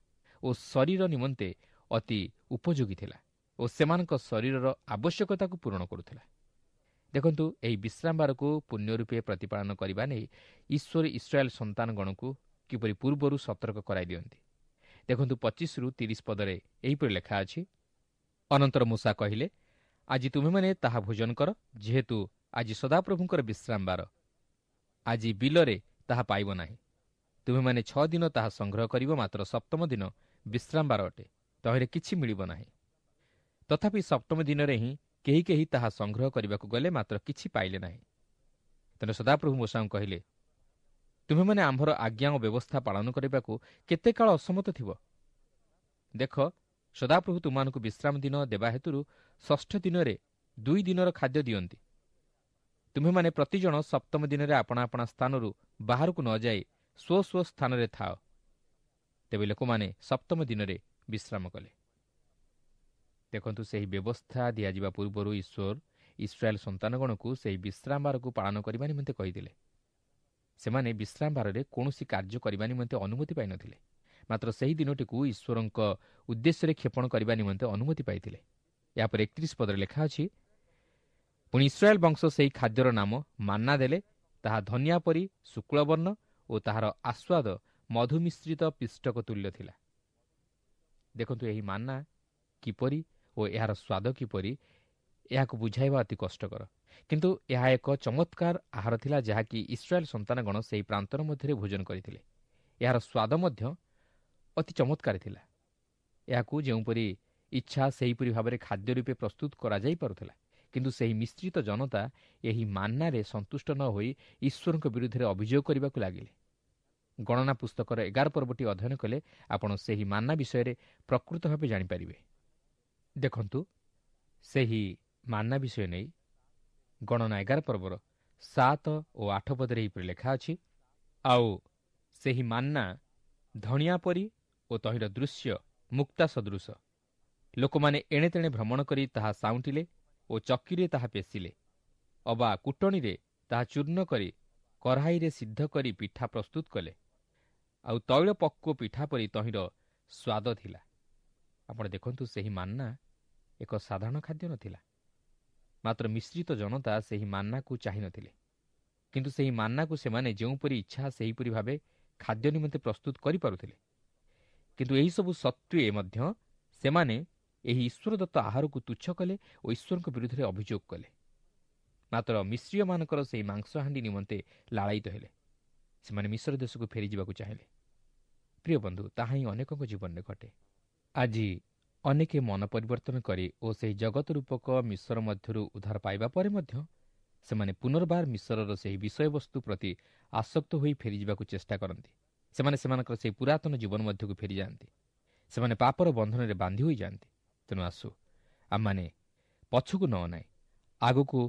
ଓ ଶରୀର ନିମନ୍ତେ ଅତି ଉପଯୋଗୀ ଥିଲା ଓ ସେମାନଙ୍କ ଶରୀରର ଆବଶ୍ୟକତାକୁ ପୂରଣ କରୁଥିଲା। ଦେଖନ୍ତୁ, ଏହି ବିଶ୍ରାମବାରକୁ ପୁଣ୍ୟ ରୂପେ ପ୍ରତିପାଳନ କରିବା ନେଇ ଈଶ୍ୱର ଇସ୍ରାଏଲ ସନ୍ତାନଗଣକୁ କିପରି ପୂର୍ବରୁ ସତର୍କ କରାଇ ଦିଅନ୍ତି। ଦେଖନ୍ତୁ, 25ରୁ 30 ପଦରେ ଏହିପରି ଲେଖା ଅଛି, ଅନନ୍ତର ମୂଷା କହିଲେ, ଆଜି ତୁମେମାନେ ତାହା ଭୋଜନ କର, ଯେହେତୁ ଆଜି ସଦାପ୍ରଭୁଙ୍କର ବିଶ୍ରାମବାର, ଆଜି ବିଲରେ ତାହା ପାଇବ ନାହିଁ। ତୁମେମାନେ 6 ଦିନ ତାହା ସଂଗ୍ରହ କରିବ, ମାତ୍ର ସପ୍ତମ ଦିନ ବିଶ୍ରାମବାର ଅଟେ, ତହିଁରେ କିଛି ମିଳିବ ନାହିଁ। ତଥାପି ସପ୍ତମ ଦିନରେ ହିଁ କେହି କେହି ତାହା ସଂଗ୍ରହ କରିବାକୁ ଗଲେ, ମାତ୍ର କିଛି ପାଇଲେ ନାହିଁ। ତେଣୁ ସଦାପ୍ରଭୁ ମୋଶାଙ୍କୁ କହିଲେ, ତୁମେମାନେ ଆମ୍ଭର ଆଜ୍ଞା ଓ ବ୍ୟବସ୍ଥା ପାଳନ କରିବାକୁ କେତେ କାଳ ଅସମତ ଥିବ? ଦେଖ, ସଦାପ୍ରଭୁ ତୁମମାନଙ୍କୁ ବିଶ୍ରାମ ଦିନ ଦେବା ହେତୁରୁ ଷଷ୍ଠ ଦିନରେ 2 ଦିନର ଖାଦ୍ୟ ଦିଅନ୍ତି। ତୁମେମାନେ ପ୍ରତିଜଣ ସପ୍ତମ ଦିନରେ ଆପଣା ଆପଣା ସ୍ଥାନରୁ ବାହାରକୁ ନ ଯାଇ ସ୍ୱ ସ୍ୱ ସ୍ଥାନରେ ଥାଅ। ତେବେ ଲୋକମାନେ ସପ୍ତମ ଦିନରେ ବିଶ୍ରାମ କଲେ। ଦେଖନ୍ତୁ, ସେହି ବ୍ୟବସ୍ଥା ଦିଆଯିବା ପୂର୍ବରୁ ଈଶ୍ୱର ଇସ୍ରାଏଲ ସନ୍ତାନଗଣକୁ ସେହି ବିଶ୍ରାମବାରକୁ ପାଳନ କରିବା ନିମନ୍ତେ କହିଥିଲେ। ସେମାନେ ବିଶ୍ରାମବାରରେ କୌଣସି କାର୍ଯ୍ୟ କରିବା ନିମନ୍ତେ ଅନୁମତି ପାଇନଥିଲେ, ମାତ୍ର ସେହି ଦିନଟିକୁ ଈଶ୍ୱରଙ୍କ ଉଦ୍ଦେଶ୍ୟରେ କ୍ଷେପଣ କରିବା ନିମନ୍ତେ ଅନୁମତି ପାଇଥିଲେ। ଏହାପରେ 31 ପଦରେ ଲେଖା ଅଛି, ପୁଣି ଇସ୍ରାଏଲ ବଂଶ ସେହି ଖାଦ୍ୟର ନାମ ମାନ୍ନା ଦେଲେ, ତାହା ଧନିଆ ପରି ଶୁକ୍ଳବର୍ଣ୍ଣ ଓ ତାହାର ଆସ୍ୱାଦ ମଧୁମିଶ୍ରିତ ପିଷ୍ଟକ ତୁଲ୍ୟ ଥିଲା। ଦେଖନ୍ତୁ, ଏହି ମାନ୍ନା କିପରି ଓ ଏହାର ସ୍ୱାଦ କିପରି, ଏହାକୁ ବୁଝାଇବା ଅତି କଷ୍ଟକର। କିନ୍ତୁ ଏହା ଏକ ଚମତ୍କାର ଆହାର ଥିଲା, ଯାହାକି ଇସ୍ରାଏଲ ସନ୍ତାନଗଣ ସେହି ପ୍ରାନ୍ତର ମଧ୍ୟରେ ଭୋଜନ କରିଥିଲେ। ଏହାର ସ୍ୱାଦ ମଧ୍ୟ ଅତି ଚମତ୍କାର ଥିଲା। ଏହାକୁ ଯେଉଁପରି ଇଚ୍ଛା ସେହିପରି ଭାବରେ ଖାଦ୍ୟ ରୂପେ ପ୍ରସ୍ତୁତ କରାଯାଇପାରୁଥିଲା। କିନ୍ତୁ ସେହି ମିଶ୍ରିତ ଜନତା ଏହି ମାନ୍ନାରେ ସନ୍ତୁଷ୍ଟ ନ ହୋଇ ଈଶ୍ୱରଙ୍କ ବିରୁଦ୍ଧରେ ଅଭିଯୋଗ କରିବାକୁ ଲାଗିଲେ। ଗଣନା ପୁସ୍ତକର 11 ପର୍ବଟି ଅଧ୍ୟୟନ କଲେ ଆପଣ ସେହି ମାନ୍ନା ବିଷୟରେ ପ୍ରକୃତ ଭାବେ ଜାଣିପାରିବେ। ଦେଖନ୍ତୁ, ସେହି ମାନ୍ନା ବିଷୟ ନେଇ ଗଣନା 11 ପର୍ବର 7 ଓ 8 ପଦରେ ଏହିପରି ଲେଖା ଅଛି, ଆଉ ସେହି ମାନ୍ନା ଧଣିଆ ପରି ଓ ତହିଁର ଦୃଶ୍ୟ ମୁକ୍ତା ସଦୃଶ। ଲୋକମାନେ ଏଣେ ତେଣେ ଭ୍ରମଣ କରି ତାହା ସାଉଁଟିଲେ ଓ ଚକିରେ ତାହା ପେଶିଲେ, ଅବା କୁଟଣିରେ ତାହା ଚୂର୍ଣ୍ଣ କରି କଢ଼ାଇରେ ସିଦ୍ଧ କରି ପିଠା ପ୍ରସ୍ତୁତ କଲେ, ଆଉ ତୈଳ ପକ୍ୱ ପିଠା ପରି ତହିଁର ସ୍ୱାଦ ଥିଲା। ଆପଣ ଦେଖନ୍ତୁ, ସେହି ମାନ୍ନା ଏକ ସାଧାରଣ ଖାଦ୍ୟ ନଥିଲା, ମାତ୍ର ମିଶ୍ରିତ ଜନତା ସେହି ମାନ୍ନାକୁ ଚାହିଁନଥିଲେ। କିନ୍ତୁ ସେହି ମାନ୍ନାକୁ ସେମାନେ ଯେଉଁପରି ଇଚ୍ଛା ସେହିପରି ଭାବେ ଖାଦ୍ୟ ନିମନ୍ତେ ପ୍ରସ୍ତୁତ କରିପାରୁଥିଲେ। କିନ୍ତୁ ଏହିସବୁ ସତ୍ତ୍ୱେ ମଧ୍ୟ ସେମାନେ ଏହି ଈଶ୍ୱରଦତ୍ତ ଆହାରକୁ ତୁଚ୍ଛ କଲେ ଓ ଈଶ୍ୱରଙ୍କ ବିରୁଦ୍ଧରେ ଅଭିଯୋଗ କଲେ। ମାତ୍ର ମିଶ୍ରୀୟମାନଙ୍କର ସେହି ମାଂସହାଣ୍ଡି ନିମନ୍ତେ ଲାଳାୟିତ ହେଲେ। ସେମାନେ ମିଶ୍ର ଦେଶକୁ ଫେରିଯିବାକୁ ଚାହିଁଲେ। ପ୍ରିୟ ବନ୍ଧୁ, ତାହା ହିଁ ଅନେକଙ୍କ ଜୀବନରେ ଘଟେ। ଆଜି ଅନେକେ ମନ ପରିବର୍ତ୍ତନ କରି ଓ ସେହି ଜଗତ ରୂପକ ମିଶ୍ର ମଧ୍ୟରୁ ଉଦ୍ଧାର ପାଇବା ପରେ ମଧ୍ୟ ସେମାନେ ପୁନର୍ବାର ମିଶ୍ରର ସେହି ବିଷୟବସ୍ତୁ ପ୍ରତି ଆସକ୍ତ ହୋଇ ଫେରିଯିବାକୁ ଚେଷ୍ଟା କରନ୍ତି। ସେମାନେ ସେମାନଙ୍କର ସେହି ପୁରାତନ ଜୀବନ ମଧ୍ୟକୁ ଫେରିଯାଆନ୍ତି। ସେମାନେ ପାପର ବନ୍ଧନରେ ବାନ୍ଧି ହୋଇଯାଆନ୍ତି। ତେଣୁ ଆସୁ ଆମମାନେ ପଛକୁ ନ ଅନାଇ ଆଗକୁ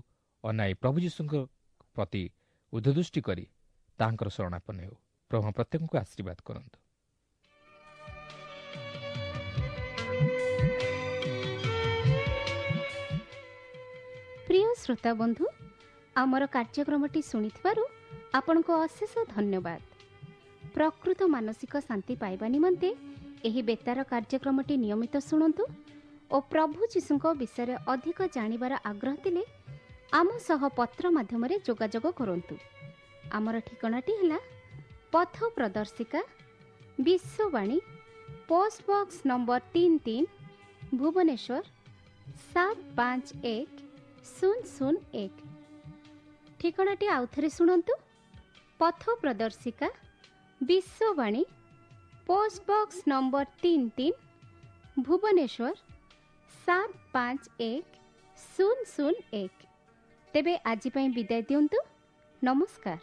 ଅନାଇ ପ୍ରଭୁ ଯୀଶୁଙ୍କ ପ୍ରତି ଉଦ୍ଧଦୃଷ୍ଟି କରି ତାହାଙ୍କର ଶରଣାପନ୍ନ ହେଉ। ପ୍ରଭୁ ପ୍ରତ୍ୟେକଙ୍କୁ ଆଶୀର୍ବାଦ କରନ୍ତୁ। ପ୍ରିୟ ଶ୍ରୋତା ବନ୍ଧୁ, ଆମର କାର୍ଯ୍ୟକ୍ରମଟି ଶୁଣିଥିବାରୁ ଆପଣଙ୍କୁ ଅଶେଷ ଧନ୍ୟବାଦ। ପ୍ରକୃତ ମାନସିକ ଶାନ୍ତି ପାଇବା ନିମନ୍ତେ ଏହି ବେତାର କାର୍ଯ୍ୟକ୍ରମଟି ନିୟମିତ ଶୁଣନ୍ତୁ ଓ ପ୍ରଭୁ ଯୀଶୁଙ୍କ ବିଷୟରେ ଅଧିକ ଜାଣିବାର ଆଗ୍ରହ ଥିଲେ ଆମ ସହ ପତ୍ର ମାଧ୍ୟମରେ ଯୋଗାଯୋଗ କରନ୍ତୁ। ଆମର ଠିକଣାଟି ହେଲା ପଥ ପ୍ରଦର୍ଶିକା, Vishwavani, post box number 33, Bhubaneswar 751001। ଠିକଣାଟି ଆଉଥରେ ଶୁଣନ୍ତୁ, ପଥ ପ୍ରଦର୍ଶିକା, Vishwavani, post box number 33, Bhubaneswar 751001। ତେବେ ଆଜି ପାଇଁ ବିଦାୟ ଦିଅନ୍ତୁ। ନମସ୍କାର।